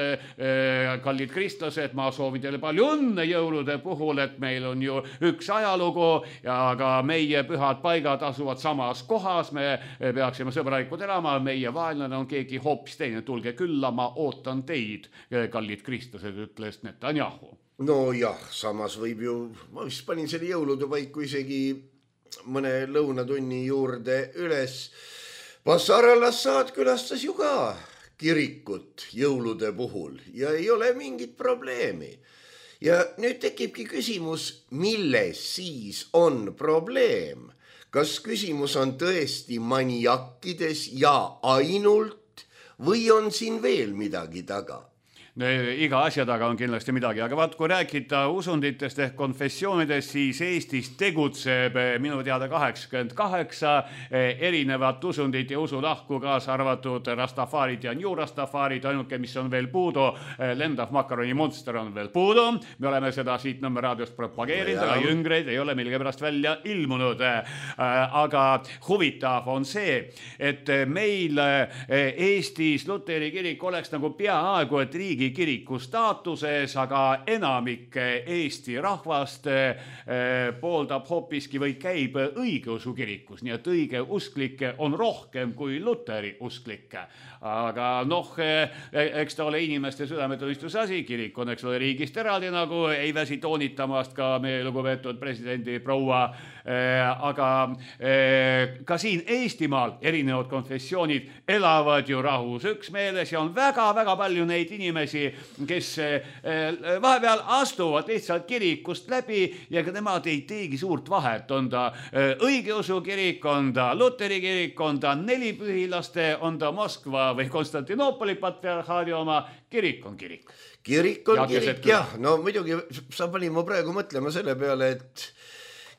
kallid kristlased, ma soovin teile palju õnne jõulude puhul, et meil on ju üks ajalugu ja ka meie pühad paigad asuvad samas kohas, me peaksime sõbralikud elama, meie vaenlane on keegi hoopis teine, tulge külla, ma ootan teid, kallid kristlased, ütles Netanyahu. No jah, samas võib ju, ma vist panin selle jõulude paiku isegi mõne lõunatunni juurde üles. Bashar al-Assad külastas ju ka kirikut jõulude puhul ja ei ole mingit probleemi. Ja nüüd tekibki küsimus, milles siis on probleem? Kas küsimus on tõesti maniakkides ja ainult või on siin veel midagi taga? iga asja taga on kindlasti midagi, aga vaat kui rääkida usunditest ehk konfessioonidest, siis Eestis tegutseb minu teada 88 erinevat usundit ja usulahku, kaasa arvatud Rastafarid ja New Rastafarid, ainuke, mis on veel puudu, lendav makaroni monster on veel puudu. Me oleme seda siit Nõmme raadiost propageerinud, aga jüngreid ei ole millegipärast välja ilmunud. Aga huvitav on see, et meil Eestis Luteri kirik oleks nagu peaaegu et riigikiriku staatuses, aga enamik Eesti rahvast pooldab hoopiski või käib õigeusu kirikus, nii et õigeusklikke on rohkem kui Luteri usklikke. Aga noh, eks ta ole inimeste südametunnistuse asi, kirik on eks ole riigist eraldi, nagu ei väsi toonitamast ka meie lugupeetud presidendi proua, aga ka siin Eestimaal erinevad konfessioonid elavad ju rahus üksmeeles ja on väga-väga palju neid inimesi, kes vahepeal astuvad lihtsalt kirikust läbi ja ka nemad ei teegi suurt vahet, on ta õigeusu kirik, on ta Luteri kirik, on ta nelipühilaste, on ta Moskva või Konstantinoopoli patriarhaadi oma, kirik on kirik. Kirik on kirik, jah. No muidugi sa pani ma praegu mõtlema selle peale, et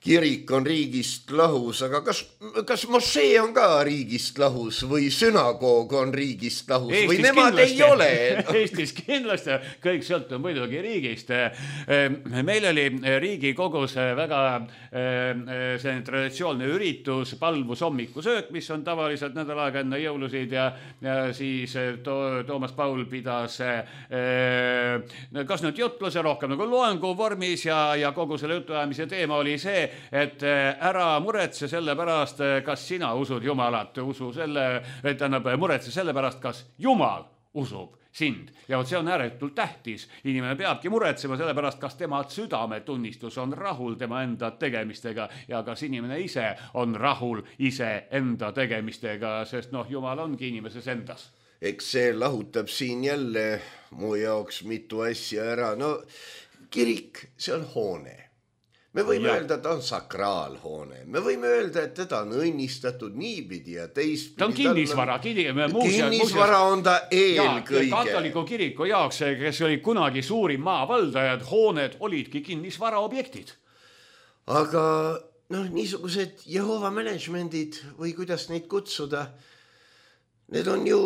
kirik on riigist lahus, aga kas mošee on ka riigist lahus või sünagoog on riigist lahus Eestis või nemad kindlasti, ei ole? Eestis kindlasti, kõik sõltub muidugi riigist. Meil oli Riigikogus väga selline traditsioonne üritus, palvus hommikusöök, mis on tavaliselt nädal aega enne jõulusid ja siis Toomas Paul pidas kas nüüd jutluse rohkem nagu loengu vormis ja kogu selle jutuajamise teema oli see, et ära muretse selle pärast, kas sina usud Jumalat, muretse selle pärast, kas Jumal usub sind. Ja see on ääretult tähtis. Inimene peabki muretsema selle pärast, kas tema südametunnistus on rahul tema enda tegemistega ja kas inimene ise on rahul ise enda tegemistega, sest Jumal ongi inimeses endas. Eks see lahutab siin jälle mu jaoks mitu asja ära. No kirik, see on hoone. Me võime öelda, et ta on sakraalhoone. Me võime öelda, et teda on õnnistatud niipidi ja teistpidi. Ta on kinnisvara. Kinnisvara on ta eelkõige. Katoliku kiriku jaoks, kes oli kunagi suurim maavaldajad, hooned olidki kinnisvara objektid. Aga niisugused Jehova managementid või kuidas neid kutsuda, need on ju,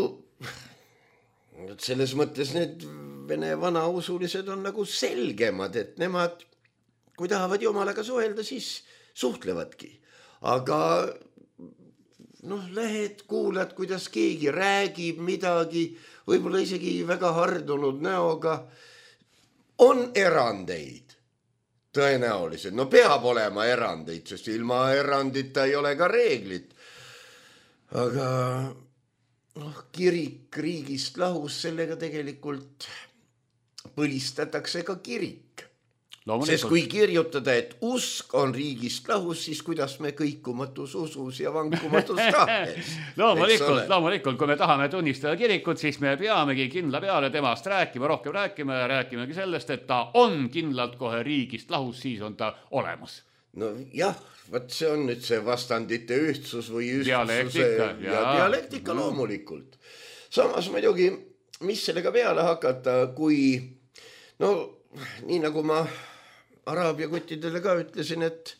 selles mõttes need vene vanausulised on nagu selgemad, et nemad kui tahavad Jumalaga suhelda, siis suhtlevadki. Aga lähed, kuulad, kuidas keegi räägib midagi, võib-olla isegi väga hardunud näoga. On erandeid, tõenäoliselt. Peab olema erandeid, sest ilma erandita ei ole ka reeglit. Aga kirik riigist lahus, sellega tegelikult põlistatakse ka kirik. Sest kui kirjutada, et usk on riigist lahus, siis kuidas me kõikumatus usus ja vankumatus tahtes. Loomulikult, kui me tahame tunnistada kirikut, siis me peamegi kindla peale temast rohkem rääkima ja rääkimegi sellest, et ta on kindlalt kohe riigist lahus, siis on ta olemas. Jah, see on nüüd see vastandite ühtsus või ühtsuse ja dialektika loomulikult. Samas muidugi, mis sellega peale hakata, kui nii nagu ma araabia kuttidele ka ütlesin, et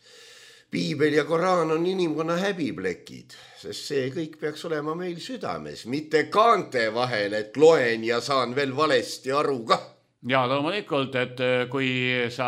piibel ja koraan on inimkonna häbiplekid, sest see kõik peaks olema meil südames, mitte kaante vahel, et loen ja saan veel valesti aru ka. Ja loomulikult, et kui sa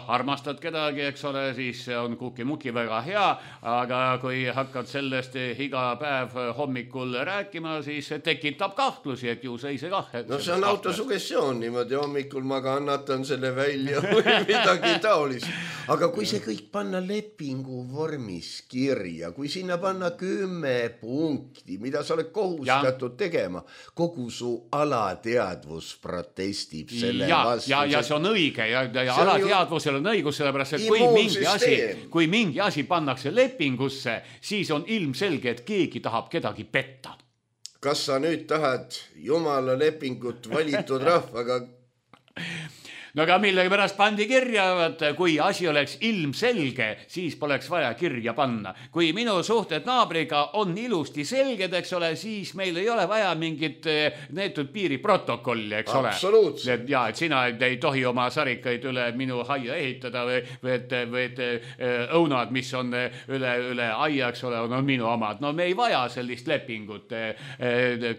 armastad kedagi, eks ole, siis on kuki-muki väga hea, aga kui hakkad sellest iga päev hommikul rääkima, siis tekitab kahtlusi, et ju see ise kah. See on autosugestioon niimoodi, hommikul ma kannatan selle välja või midagi taolist. Aga kui see kõik panna lepingu vormis kirja, kui sinna panna 10 punkti, mida sa oled kohustatud tegema, kogu su alateadvus protestib selle vastu. Ja see on õige ja alateadvusel on õigus, sellepärast, et kui mingi asi pannakse lepingusse, siis on ilmselge, et keegi tahab kedagi petta. Kas sa nüüd tahad Jumala lepingut valitud rahvaga? no aga millegipärast pandi kirja, et kui asi oleks ilmselge, siis poleks vaja kirja panna. Kui minu suhted naabriga on ilusti selged, eks ole, siis meil ei ole vaja mingit neetud piiriprotokolli, eks ole. Absoluutselt. Ja, et sina ei tohi oma sarikaid üle minu aia ehitada või et õunad, mis on üle aia, eks ole, on minu omad. No me ei vaja sellist lepingut,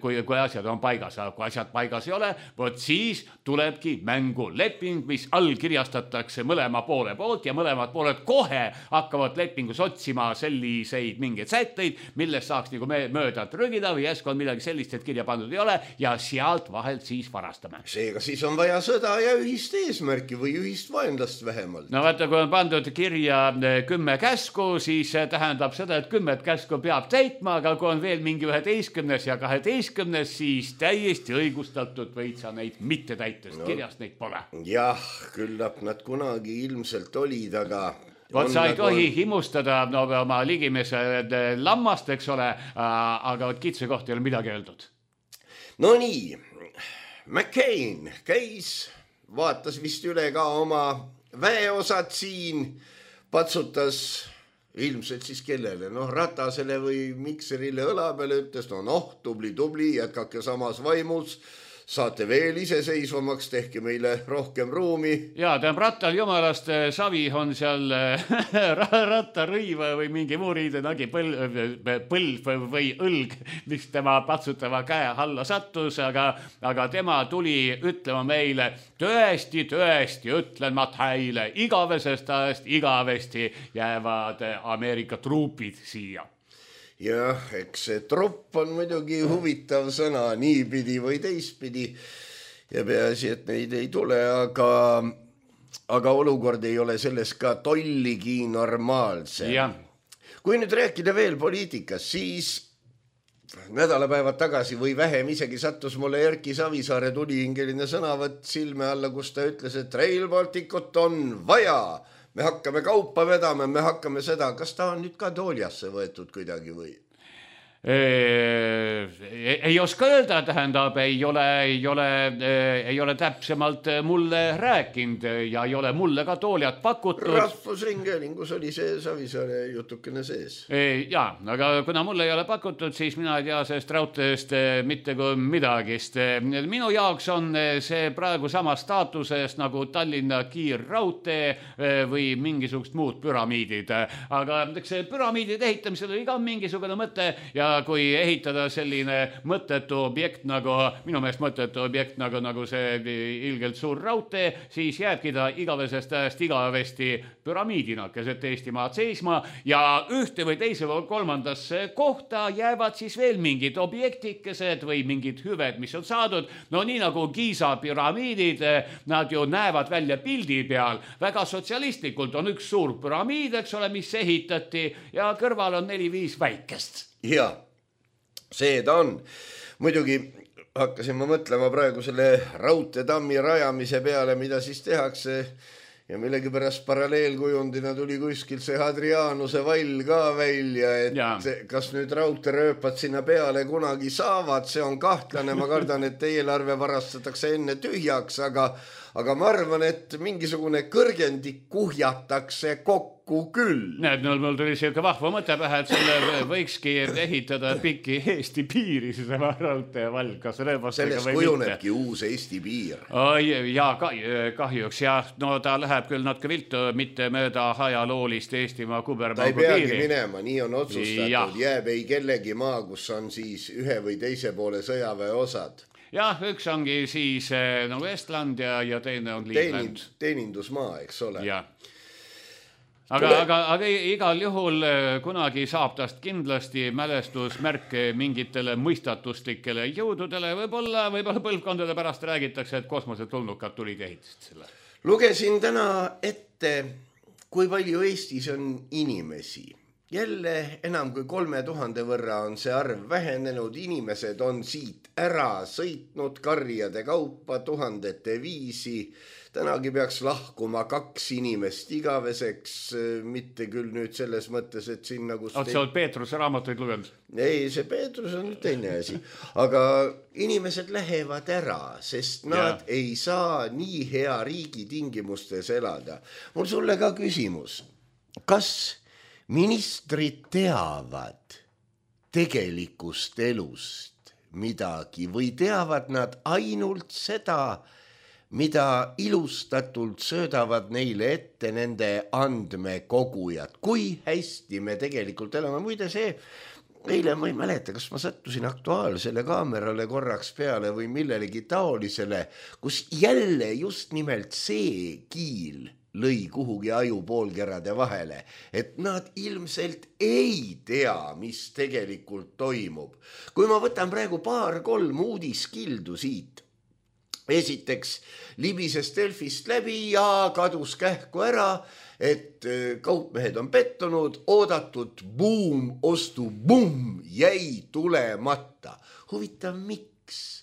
kui asjad on paigas. Kui asjad paigas ei ole, võt siis tulebki mängu leping, mis allkirjastatakse mõlema poole poolt ja mõlemad pooled kohe hakkavad lepingus otsima selliseid mingeid sätteid, millest saaks nagu mööda trügida või järsku on midagi sellist, et kirja pandud ei ole ja sealt vahelt siis varastame. Seega siis on vaja sõda ja ühist eesmärki või ühist vaenlast vähemalt. No vaata, kui on pandud kirja 10 käsku, siis tähendab seda, et 10 käsku peab täitma, aga kui on veel mingi 11. ja 12, siis täiesti õigustatud võid sa neid mitte täita, sest kirjast neid pole. Jah, küllap nad kunagi ilmselt olid, aga... Vot sa ei tohi himustada oma ligimese lammast, eks ole, aga kitse kohta ei ole midagi öeldud. No nii, McCain käis, vaatas vist üle ka oma väeosad siin, patsutas ilmselt siis kellele, Ratasele või Mikserile õla peale, ütles, tubli, jätkake samas vaimus, saate veel iseseisvamaks, tehke meile rohkem ruumi. Ja, rattal jumalast savi on seal rattarõiva või mingi muu riidenagi põlv või õlg, mis tema patsutava käe alla sattus, aga tema tuli ütlema meile, tõesti, ütlen ma teile, igavesest ajast igavesti jäävad Ameerika truupid siia. Jah, eks see trupp on muidugi huvitav sõna niipidi või teistpidi ja peaasi, et neid ei tule, aga olukord ei ole selles ka tolligi normaalse. Ja. Kui nüüd rääkida veel poliitikas, siis nädalapäevad tagasi või vähem isegi sattus mulle Erki Savisaare tulihingeline sõnavõtt silme alla, kus ta ütles, et Rail Balticut on vaja. Me hakkame kaupa vedama, me hakkame seda. Kas ta on nüüd ka tooljasse võetud kuidagi või? Ei oska öelda, tähendab, ei ole täpsemalt mulle rääkinud ja ei ole mulle ka tooljat pakutud. Rahvusringhäälingus oli see Savisaare jutukene sees. Ja, aga kuna mulle ei ole pakutud, siis mina ei tea sellest raudteest mitte kui midagist. Minu jaoks on see praegu sama staatuses nagu Tallinna kiirraudtee või mingisugust muud püramiidid. Aga see püramiidide ehitamisel oli ka mingisugune mõte ja kui ehitada selline mõttetu objekt nagu, minu meelest mõttetu objekt nagu see ilgelt suur raudtee, siis jääbki ta igavesest ajast igavesti püramiidina keset Eestimaad seisma ja ühte või teise või kolmandasse kohta jäävad siis veel mingid objektikesed või mingid hüved, mis on saadud. No nii nagu Giza püramiidid, nad ju näevad välja pildi peal. Väga sotsialistlikult on üks suur püramiid, eks ole, mis ehitati ja kõrval on 4-5 väikest. Ja, see ta on. Muidugi hakkasin ma mõtlema praegu selle raudteetammi rajamise peale, mida siis tehakse ja millegipärast paralleelkujundina tuli kuskil see Hadrianuse vall ka välja, et kas nüüd raudteerööpad sinna peale kunagi saavad, see on kahtlane, ma kardan, et eelarve varastatakse enne tühjaks, aga ma arvan, et mingisugune kõrgendik kuhjatakse kokku küll. Näed, mul tuli selline vahva mõte pähe, et selle võikski ehitada pikki Eesti piiri, see raudteevall, kas rööbastega või mitte. Sellest kujunebki uus Eesti piir. Ja kahjuks, ja no ta läheb küll natuke viltu, mitte mööda ajaloolist Eestimaa kubermaagu piiri. Ta ei peagi minema, nii on otsustatud, jääb ei kellegi maa, kus on siis ühe või teise poole sõjaväe osad. Jah, üks ongi siis nagu Estland ja teine on Liivland. Teenindusmaa, eks ole. Jah. Aga igal juhul kunagi saab tast kindlasti mälestusmärk mingitele mõistatuslikele jõududele. Võib-olla põlvkondade pärast räägitakse, et kosmosetulnukad tulid ehitist selle. Lugesin täna ette, kui palju Eestis on inimesi jälle enam kui 3000 võrra on see arv vähenenud, inimesed on siit ära sõitnud karjade kaupa tuhandete viisi. Tänagi peaks lahkuma 2 inimest igaveseks, mitte küll nüüd selles mõttes, et siin nagu... Sa oled Peetruse raamatuid lugenud? Ei, see Peetrus on teine asi. Aga inimesed lähevad ära, sest nad ei saa nii hea riigi tingimustes elada. Mul sulle ka küsimus. Kas ministrid teavad tegelikust elust midagi või teavad nad ainult seda, mida ilustatult söödavad neile ette nende andmekogujad? Kui hästi me tegelikult elame? Muide see, eile ma ei mäleta, kas ma sattusin Aktuaalsele kaamerale korraks peale või millelegi taolisele, kus jälle just nimelt see kiil lõi kuhugi aju poolkerade vahele, et nad ilmselt ei tea, mis tegelikult toimub. Kui ma võtan praegu 2-3 uudiskildu siit, esiteks libises Delfist läbi ja kadus kähku ära, et kaupmehed on pettunud, oodatud ostu jäi tulemata. Huvitav, miks?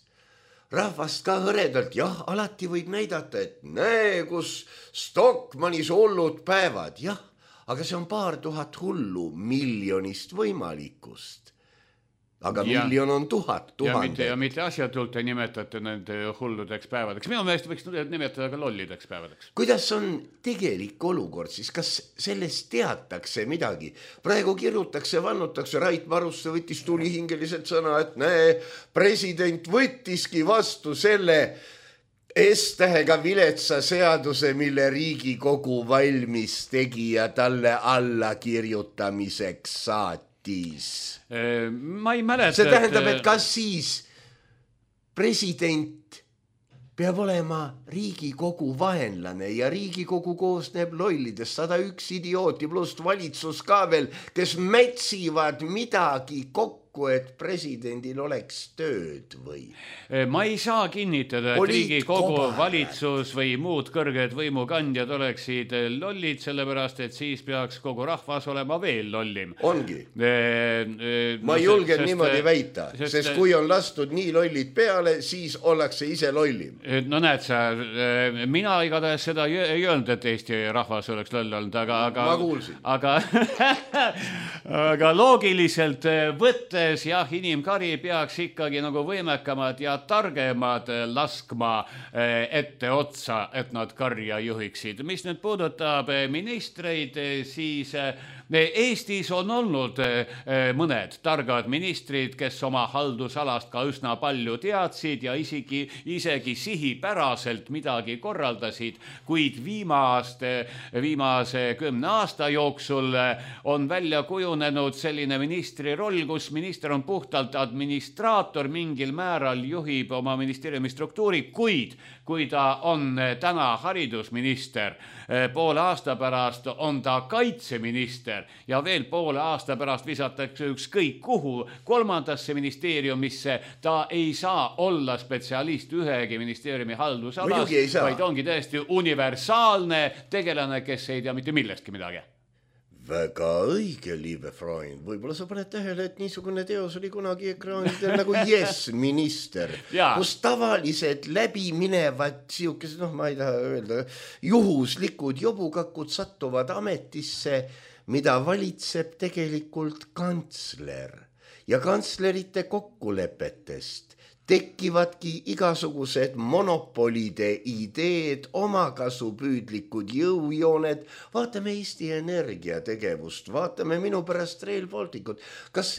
Rahvast ka hõredalt, jah, alati võib näidata, et näe, kus Stockmannis hullud päevad, jah, aga see on 2000 hullu miljonist võimalikust. Aga miljon on 1000. Ja mitte asjatult ei nimetate nende hulludeks päevadeks. Minu meelest võiks nimetada ka lollideks päevadeks. Kuidas on tegelik olukord siis? Kas sellest teatakse midagi? Praegu kirjutakse, vannutakse, Rait Maruste võttis tulihingeliselt sõna, et näe, president võttiski vastu selle S-tähega viletsa seaduse, mille Riigikogu valmis tegi ja talle alla kirjutamiseks saati. Ma ei mäleta, see tähendab, et kas siis president peab olema Riigikogu vaenlane ja Riigikogu koosneb lollidest 101 idiooti pluss valitsus ka veel, kes mätsivad midagi kokku, et presidendil oleks tööd või? Ma ei saa kinnitada, et Riigikogu valitsus või muud kõrged võimukandjad oleksid lollid, sellepärast, et siis peaks kogu rahvas olema veel lollim. Ongi. Ma ei julge niimoodi väita, sest kui on lastud nii lollid peale, siis ollakse ise lollim. No näed sa, mina igatahes seda ei öelnud, et Eesti rahvas oleks loll olnud, ma kuulsin. Aga loogiliselt võttes jah, inimkari peaks ikkagi nagu võimekamad ja targemad laskma ette otsa, et nad karja juhiksid. Mis nüüd puudutab ministreid, siis Eestis on olnud mõned targad ministrid, kes oma haldusalast ka üsna palju teadsid ja isegi sihipäraselt midagi korraldasid, kuid viimase 10 aasta jooksul on välja kujunenud selline ministri roll, kus minister on puhtalt administraator, mingil määral juhib oma ministeeriumi struktuuri, kuid kui ta on täna haridusminister, poole aasta pärast on ta kaitseminister ja veel poole aasta pärast visatakse ükskõik kuhu 3. ministeeriumisse, ta ei saa olla spetsialist ühegi ministeeriumi haldusalas, vaid ongi täiesti universaalne tegelane, kes ei tea mitte millestki midagi. Väga õige, liebe Freund. Võib-olla sa paned tähele, et niisugune teos oli kunagi ekraanidel nagu Yes minister, kus tavalised läbi minevad siukesed, ma ei taha öelda, juhuslikud jobukakud sattuvad ametisse, mida valitseb tegelikult kantsler ja kantslerite kokkulepetest tekivadki igasugused monopolide ideed, omakasupüüdlikud jõujooned. Vaatame Eesti Energia tegevust, vaatame minu pärast Rail Balticut. Kas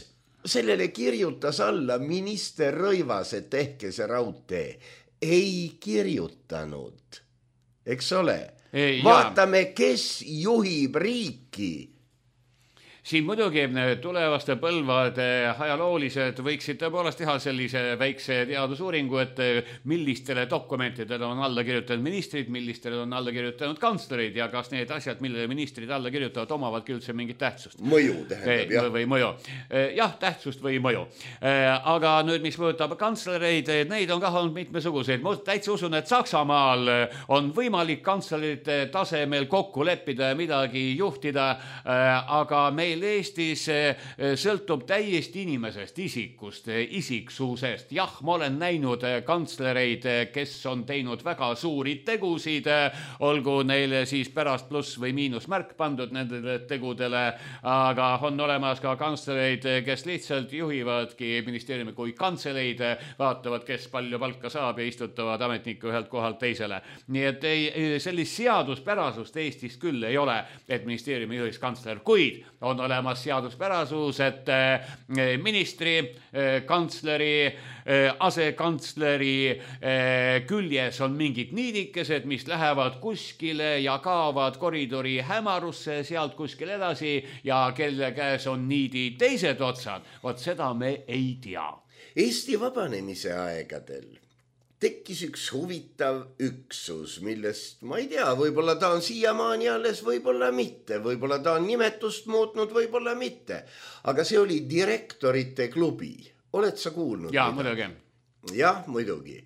sellele kirjutas alla minister Rõivas, et tehke see raudtee? Ei kirjutanud, eks ole? Vaatame, kes juhib riiki. Siin muidugi tulevaste põlvade ajaloolised võiksid tõepoolest teha sellise väikse teadusuuringu, et millistele dokumentidele on alla kirjutanud ministrid, millistele on alla kirjutanud kantslerid ja kas need asjad, millele ministrid alla kirjutavad, omavadki üldse mingit tähtsust. Mõju tähendab, jah. Või mõju. Jah, tähtsust või mõju. Aga nüüd, mis mõjutab kantslereid, neid on ka olnud mitmesuguseid. Ma täitsa usun, et Saksamaal on võimalik kantslerite tasemel kokku leppida ja midagi juhtida, aga meil meil Eestis sõltub täiesti inimesest, isikust, isiksusest. Jah, ma olen näinud kantslereid, kes on teinud väga suuri tegusid, olgu neile siis pärast pluss või miinusmärk pandud nendele tegudele, aga on olemas ka kantslereid, kes lihtsalt juhivadki ministeeriumi kui kantseleid, vaatavad, kes palju palka saab ja istutavad ametniku ühelt kohalt teisele. Nii et sellist seaduspärasust Eestis küll ei ole, et ministeeriumi juhiks kantsler, kuid on olemas seaduspärasus, et ministri, kantsleri, asekantsleri küljes on mingid niidikesed, mis lähevad kuskile ja kaovad koridori hämarusse sealt kuskil edasi ja kelle käes on niidi teised otsad. Vot seda me ei tea. Eesti vabanemise aegadel tekkis üks huvitav üksus, millest ma ei tea, võib-olla ta on siiamaani alles, võib-olla mitte, võib-olla ta on nimetust muutnud, võib-olla mitte. Aga see oli direktorite klubi. Oled sa kuulnud? Jaa, muidugi. Jah, muidugi.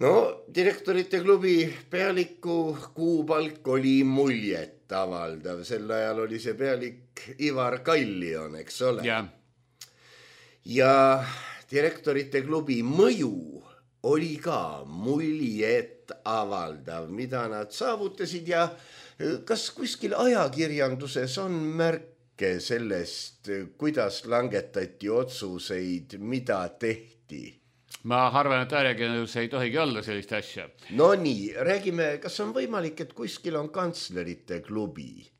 No, direktorite klubi pealiku kuupalk oli muljet avaldav. Sel ajal oli see pealik Ivar Kallion, eks ole? Jah. Ja direktorite klubi mõju oli ka muljet avaldav, mida nad saavutasid ja kas kuskil ajakirjanduses on märke sellest, kuidas langetati otsuseid, mida tehti? Ma arvan, et ajakirjandus ei tohigi olla sellist asja. No nii, räägime, kas on võimalik, et kuskil on kantslerite klubi?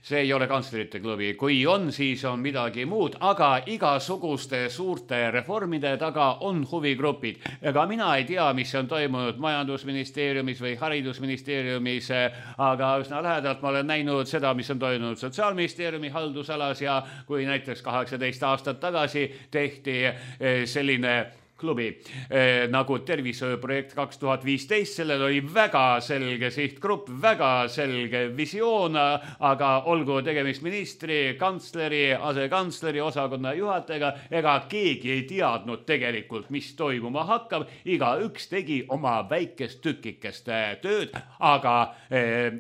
See ei ole kantslerite klubi. Kui on, siis on midagi muud, aga igasuguste suurte reformide taga on huvigrupid. Ega mina ei tea, mis on toimunud majandusministeeriumis või haridusministeeriumis, aga üsna lähedalt ma olen näinud seda, mis on toimunud sotsiaalministeeriumi haldusalas ja kui näiteks 18 aastat tagasi tehti selline klubi nagu tervishoiuprojekt 2015, sellel oli väga selge sihtgrupp, väga selge visioon, aga olgu tegemist ministri, kantsleri, asekantsleri, osakonna juhatajaga, ega keegi ei teadnud tegelikult, mis toimuma hakkab, igaüks tegi oma väikest tükikest tööd, aga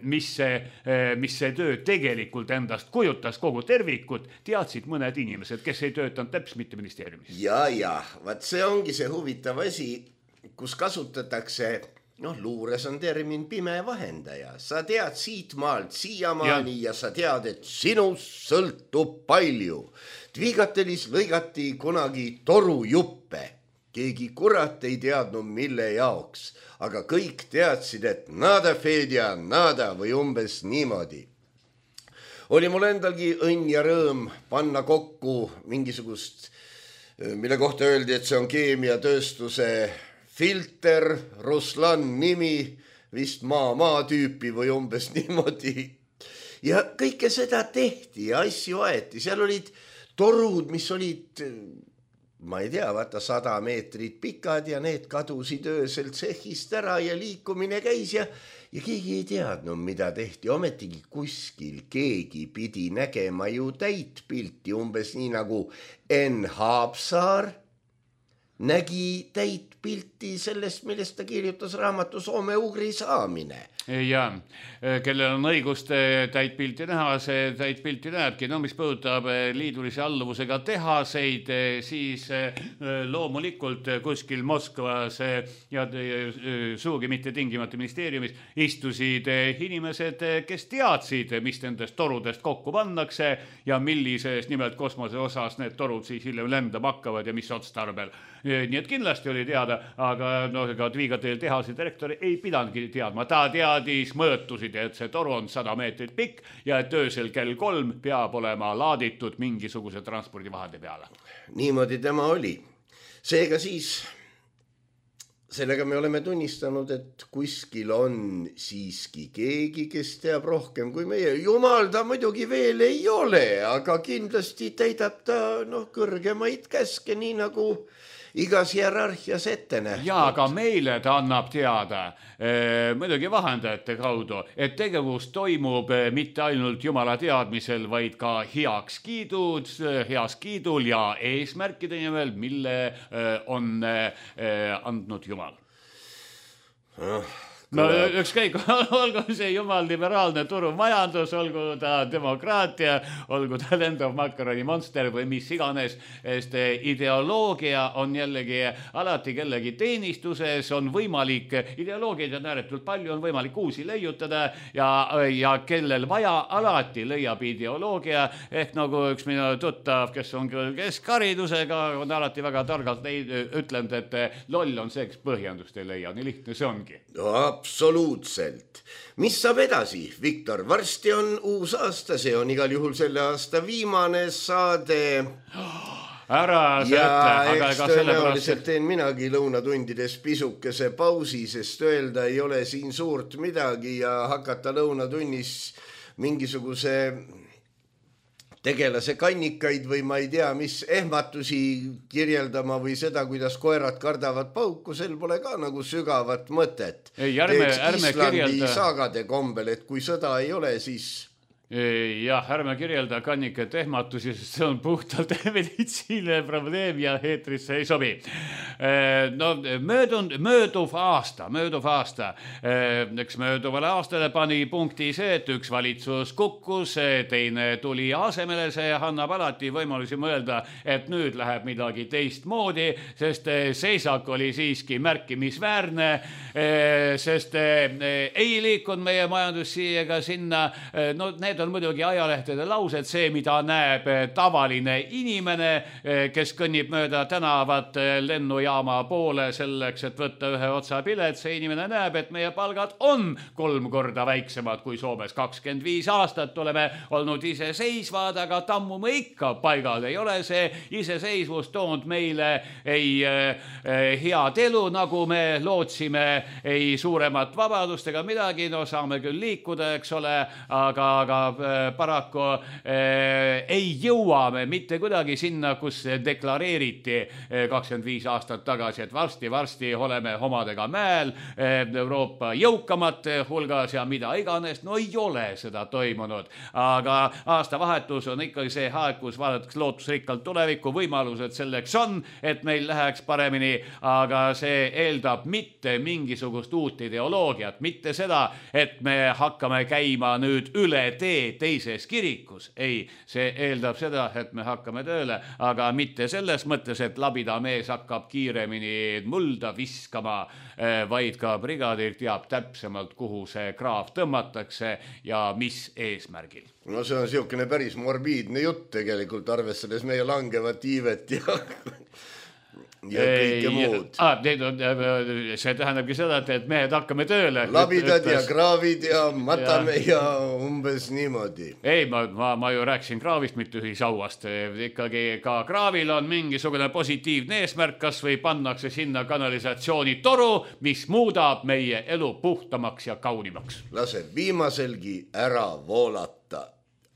mis see töö tegelikult endast kujutas kogu tervikut, teadsid mõned inimesed, kes ei töötanud täpselt mitte ministeeriumis. Ja, vaat see ongi see huvitav asi, kus kasutatakse, luures on termin pime vahendaja. Sa tead siit maalt siiamaani ja sa tead, et sinust sõltub palju. Tviigatelis lõigati kunagi torujuppe. Keegi kurat ei teadnud, mille jaoks, aga kõik teadsid, et nada Fedja, nada või umbes niimoodi. Oli mul endalgi õnn ja rõõm panna kokku mingisugust, mille kohta öeldi, et see on keemiatööstuse filter, Ruslan nimi, vist maa tüüpi või umbes niimoodi. Ja kõike seda tehti ja asju aeti. Seal olid torud, mis olid, ma ei tea, 100 meetrit pikad ja need kadusid öösel tsehhist ära ja liikumine käis ja keegi ei teadnud, mida tehti. Ometigi kuskil keegi pidi nägema ju täit pilti, umbes nii nagu Enn Haapsaar nägi täit pilti sellest, millest ta kirjutas raamatu Soome-Ugri saamine. Ja, kellel on õigust täit pilti näha, see täit pilti näebki. No mis puudutab liidulise alluvusega tehaseid, siis loomulikult kuskil Moskvas ja suugi mitte tingimata ministeeriumis istusid inimesed, kes teadsid, mis nendest torudest kokku pannakse ja millises nimelt kosmose osas need torud siis hiljem lendama hakkavad ja mis otstarbel. Nii et kindlasti oli teada, aga ega Tviigatel tehase direktor ei pidanudki teadma. Ta teadis mõõtusid, et see toru on 100 meetrit pikk ja et öösel kell 3 peab olema laaditud mingisuguse transpordivahende peale. Niimoodi tema oli. Seega siis, sellega me oleme tunnistanud, et kuskil on siiski keegi, kes teab rohkem kui meie. Jumal ta muidugi veel ei ole, aga kindlasti täidab ta kõrgemaid käske, nii nagu igas hierarhias ette nähtud. Ja, aga meile ta annab teada, muidugi vahendajate kaudu, et tegevus toimub mitte ainult Jumala teadmisel, vaid ka heakskiidul ja eesmärkide nimel, mille on andnud Jumal. no ükskõik, olgu see jumal liberaalne turumajandus, olgu ta demokraatia, olgu ta lendav makaroni monster või mis iganes, sest ideoloogia on jällegi alati kellegi teenistuses, on võimalik, ideoloogiaid on ääretult palju, on võimalik uusi leiutada ja kellel vaja, alati leiab ideoloogia, ehk nagu üks minu tuttav, kes on küll keskharidusega, on alati väga targalt ütlenud, et loll on see, kes põhjendust ei leia, nii lihtne see ongi. No, absoluutselt. Mis saab edasi, Viktor? Varsti on uus aasta, see on igal juhul selle aasta viimane saade. Ära see ütle, aga eks tõenäoliselt teen minagi lõunatundides pisukese pausi, sest öelda ei ole siin suurt midagi ja hakata lõunatunnis mingisuguse tegelase kannikaid või ma ei tea, mis ehmatusi kirjeldama või seda, kuidas koerad kardavad pauku, sel pole ka nagu sügavat mõtet. Ärme Islandi saagade kombel, et kui sõda ei ole, siis... Jah, ärme kirjelda kannikete ehmatusi, sest see on puhtalt meditsiine probleem ja eetrisse ei sobi. No, mööduv aasta. Eks mööduvale aastale pani punkti see, et üks valitsus kukkus, teine tuli asemele, see annab alati võimalusi mõelda, et nüüd läheb midagi teistmoodi, sest seisak oli siiski märkimisväärne, sest ei liikunud meie majandus siia ega sinna, no need on muidugi ajalehtede laused, see, mida näeb tavaline inimene, kes kõnnib mööda tänavat lennujaama poole selleks, et võtta ühe otsa pilet, see inimene näeb, et meie palgad on 3 korda väiksemad kui Soomes. 25 aastat oleme olnud iseseisvad, aga tammume ikka paigal. Ei ole see iseseisvus toonud meile ei head elu, nagu me lootsime, ei suuremat vabadust ega midagi, no saame küll liikuda, eks ole, aga paraku ei jõua me mitte kuidagi sinna, kus deklareeriti 25 aastat tagasi, et varsti oleme omadega mäel Euroopa jõukamate hulgas ja mida iganes, no ei ole seda toimunud. Aga aastavahetus on ikkagi see aeg, kus vaadatakse lootusrikkalt tulevikku, võimalused selleks on, et meil läheks paremini, aga see eeldab mitte mingisugust uut ideoloogiat, mitte seda, et me hakkame käima nüüd üle teises kirikus. Ei, see eeldab seda, et me hakkame tööle, aga mitte selles mõttes, et labida mees hakkab kiiremini mulda viskama, vaid ka brigaadir teab täpsemalt, kuhu see kraav tõmmatakse ja mis eesmärgil. No see on siukene päris morbiidne jutt tegelikult, arvestades meie langevat iivet ja kõike muud. See tähendabki seda, et mehed hakkame tööle. Labidad ja kraavid ja matame ja umbes niimoodi. Ei, ma ju rääkisin kraavist, mitte ühisauast. Ikkagi ka kraavil on mingisugune positiivne eesmärk, kas või pannakse sinna kanalisatsiooni toru, mis muudab meie elu puhtamaks ja kaunimaks. Lase viimaselgi ära voolata.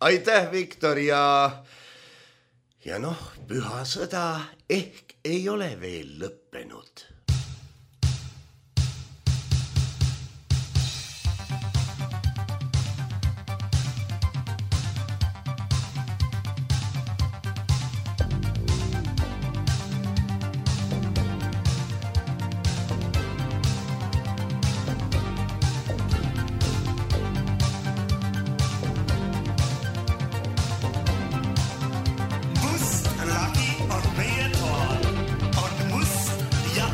Aitäh, Viktor, ja noh, püha sõda ehk ei ole veel lõppenud. Must lagi on meie toal, on must ja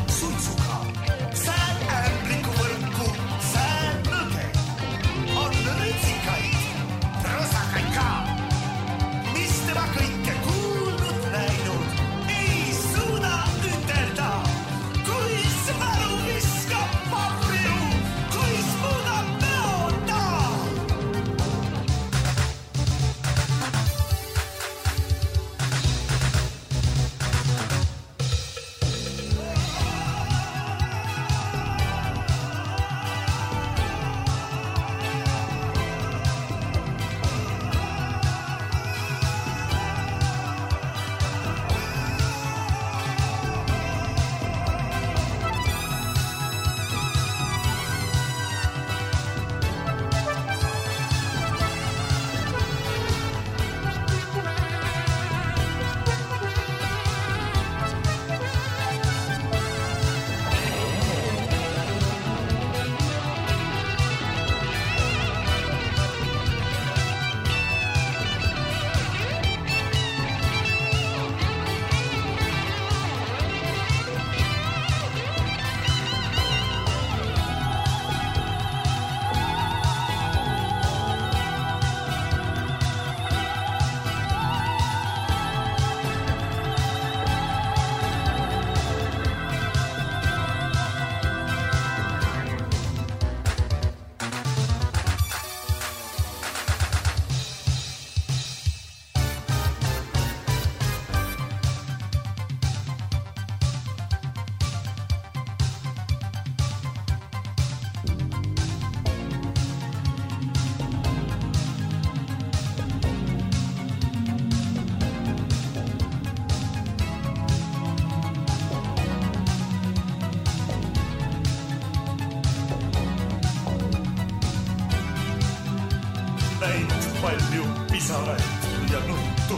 palju pisaraid ja nuttu.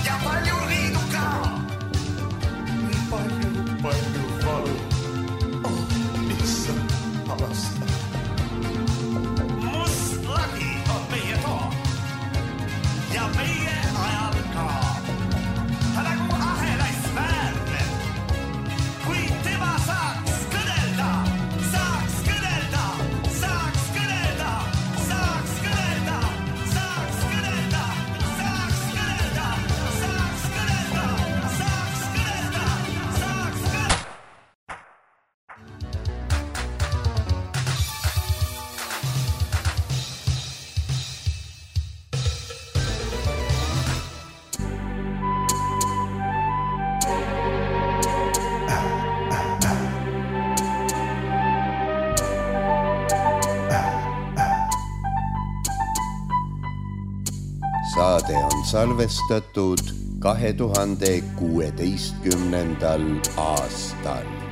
Ja palju riidu ka. Nii palju valu. Issand, avasta. Must lagi on meie too. Ja meie ajal ka. Ta nagu ahelais väärne. Kui tema saaks kõnelda, saaks kõnelda, saaks kõnelda, saaks kõnelda, saaks kõnelda, saaks kõnelda, saaks kõnelda, saaks kõnelda, saaks kõnelda. Saade on salvestatud 2016. aastal.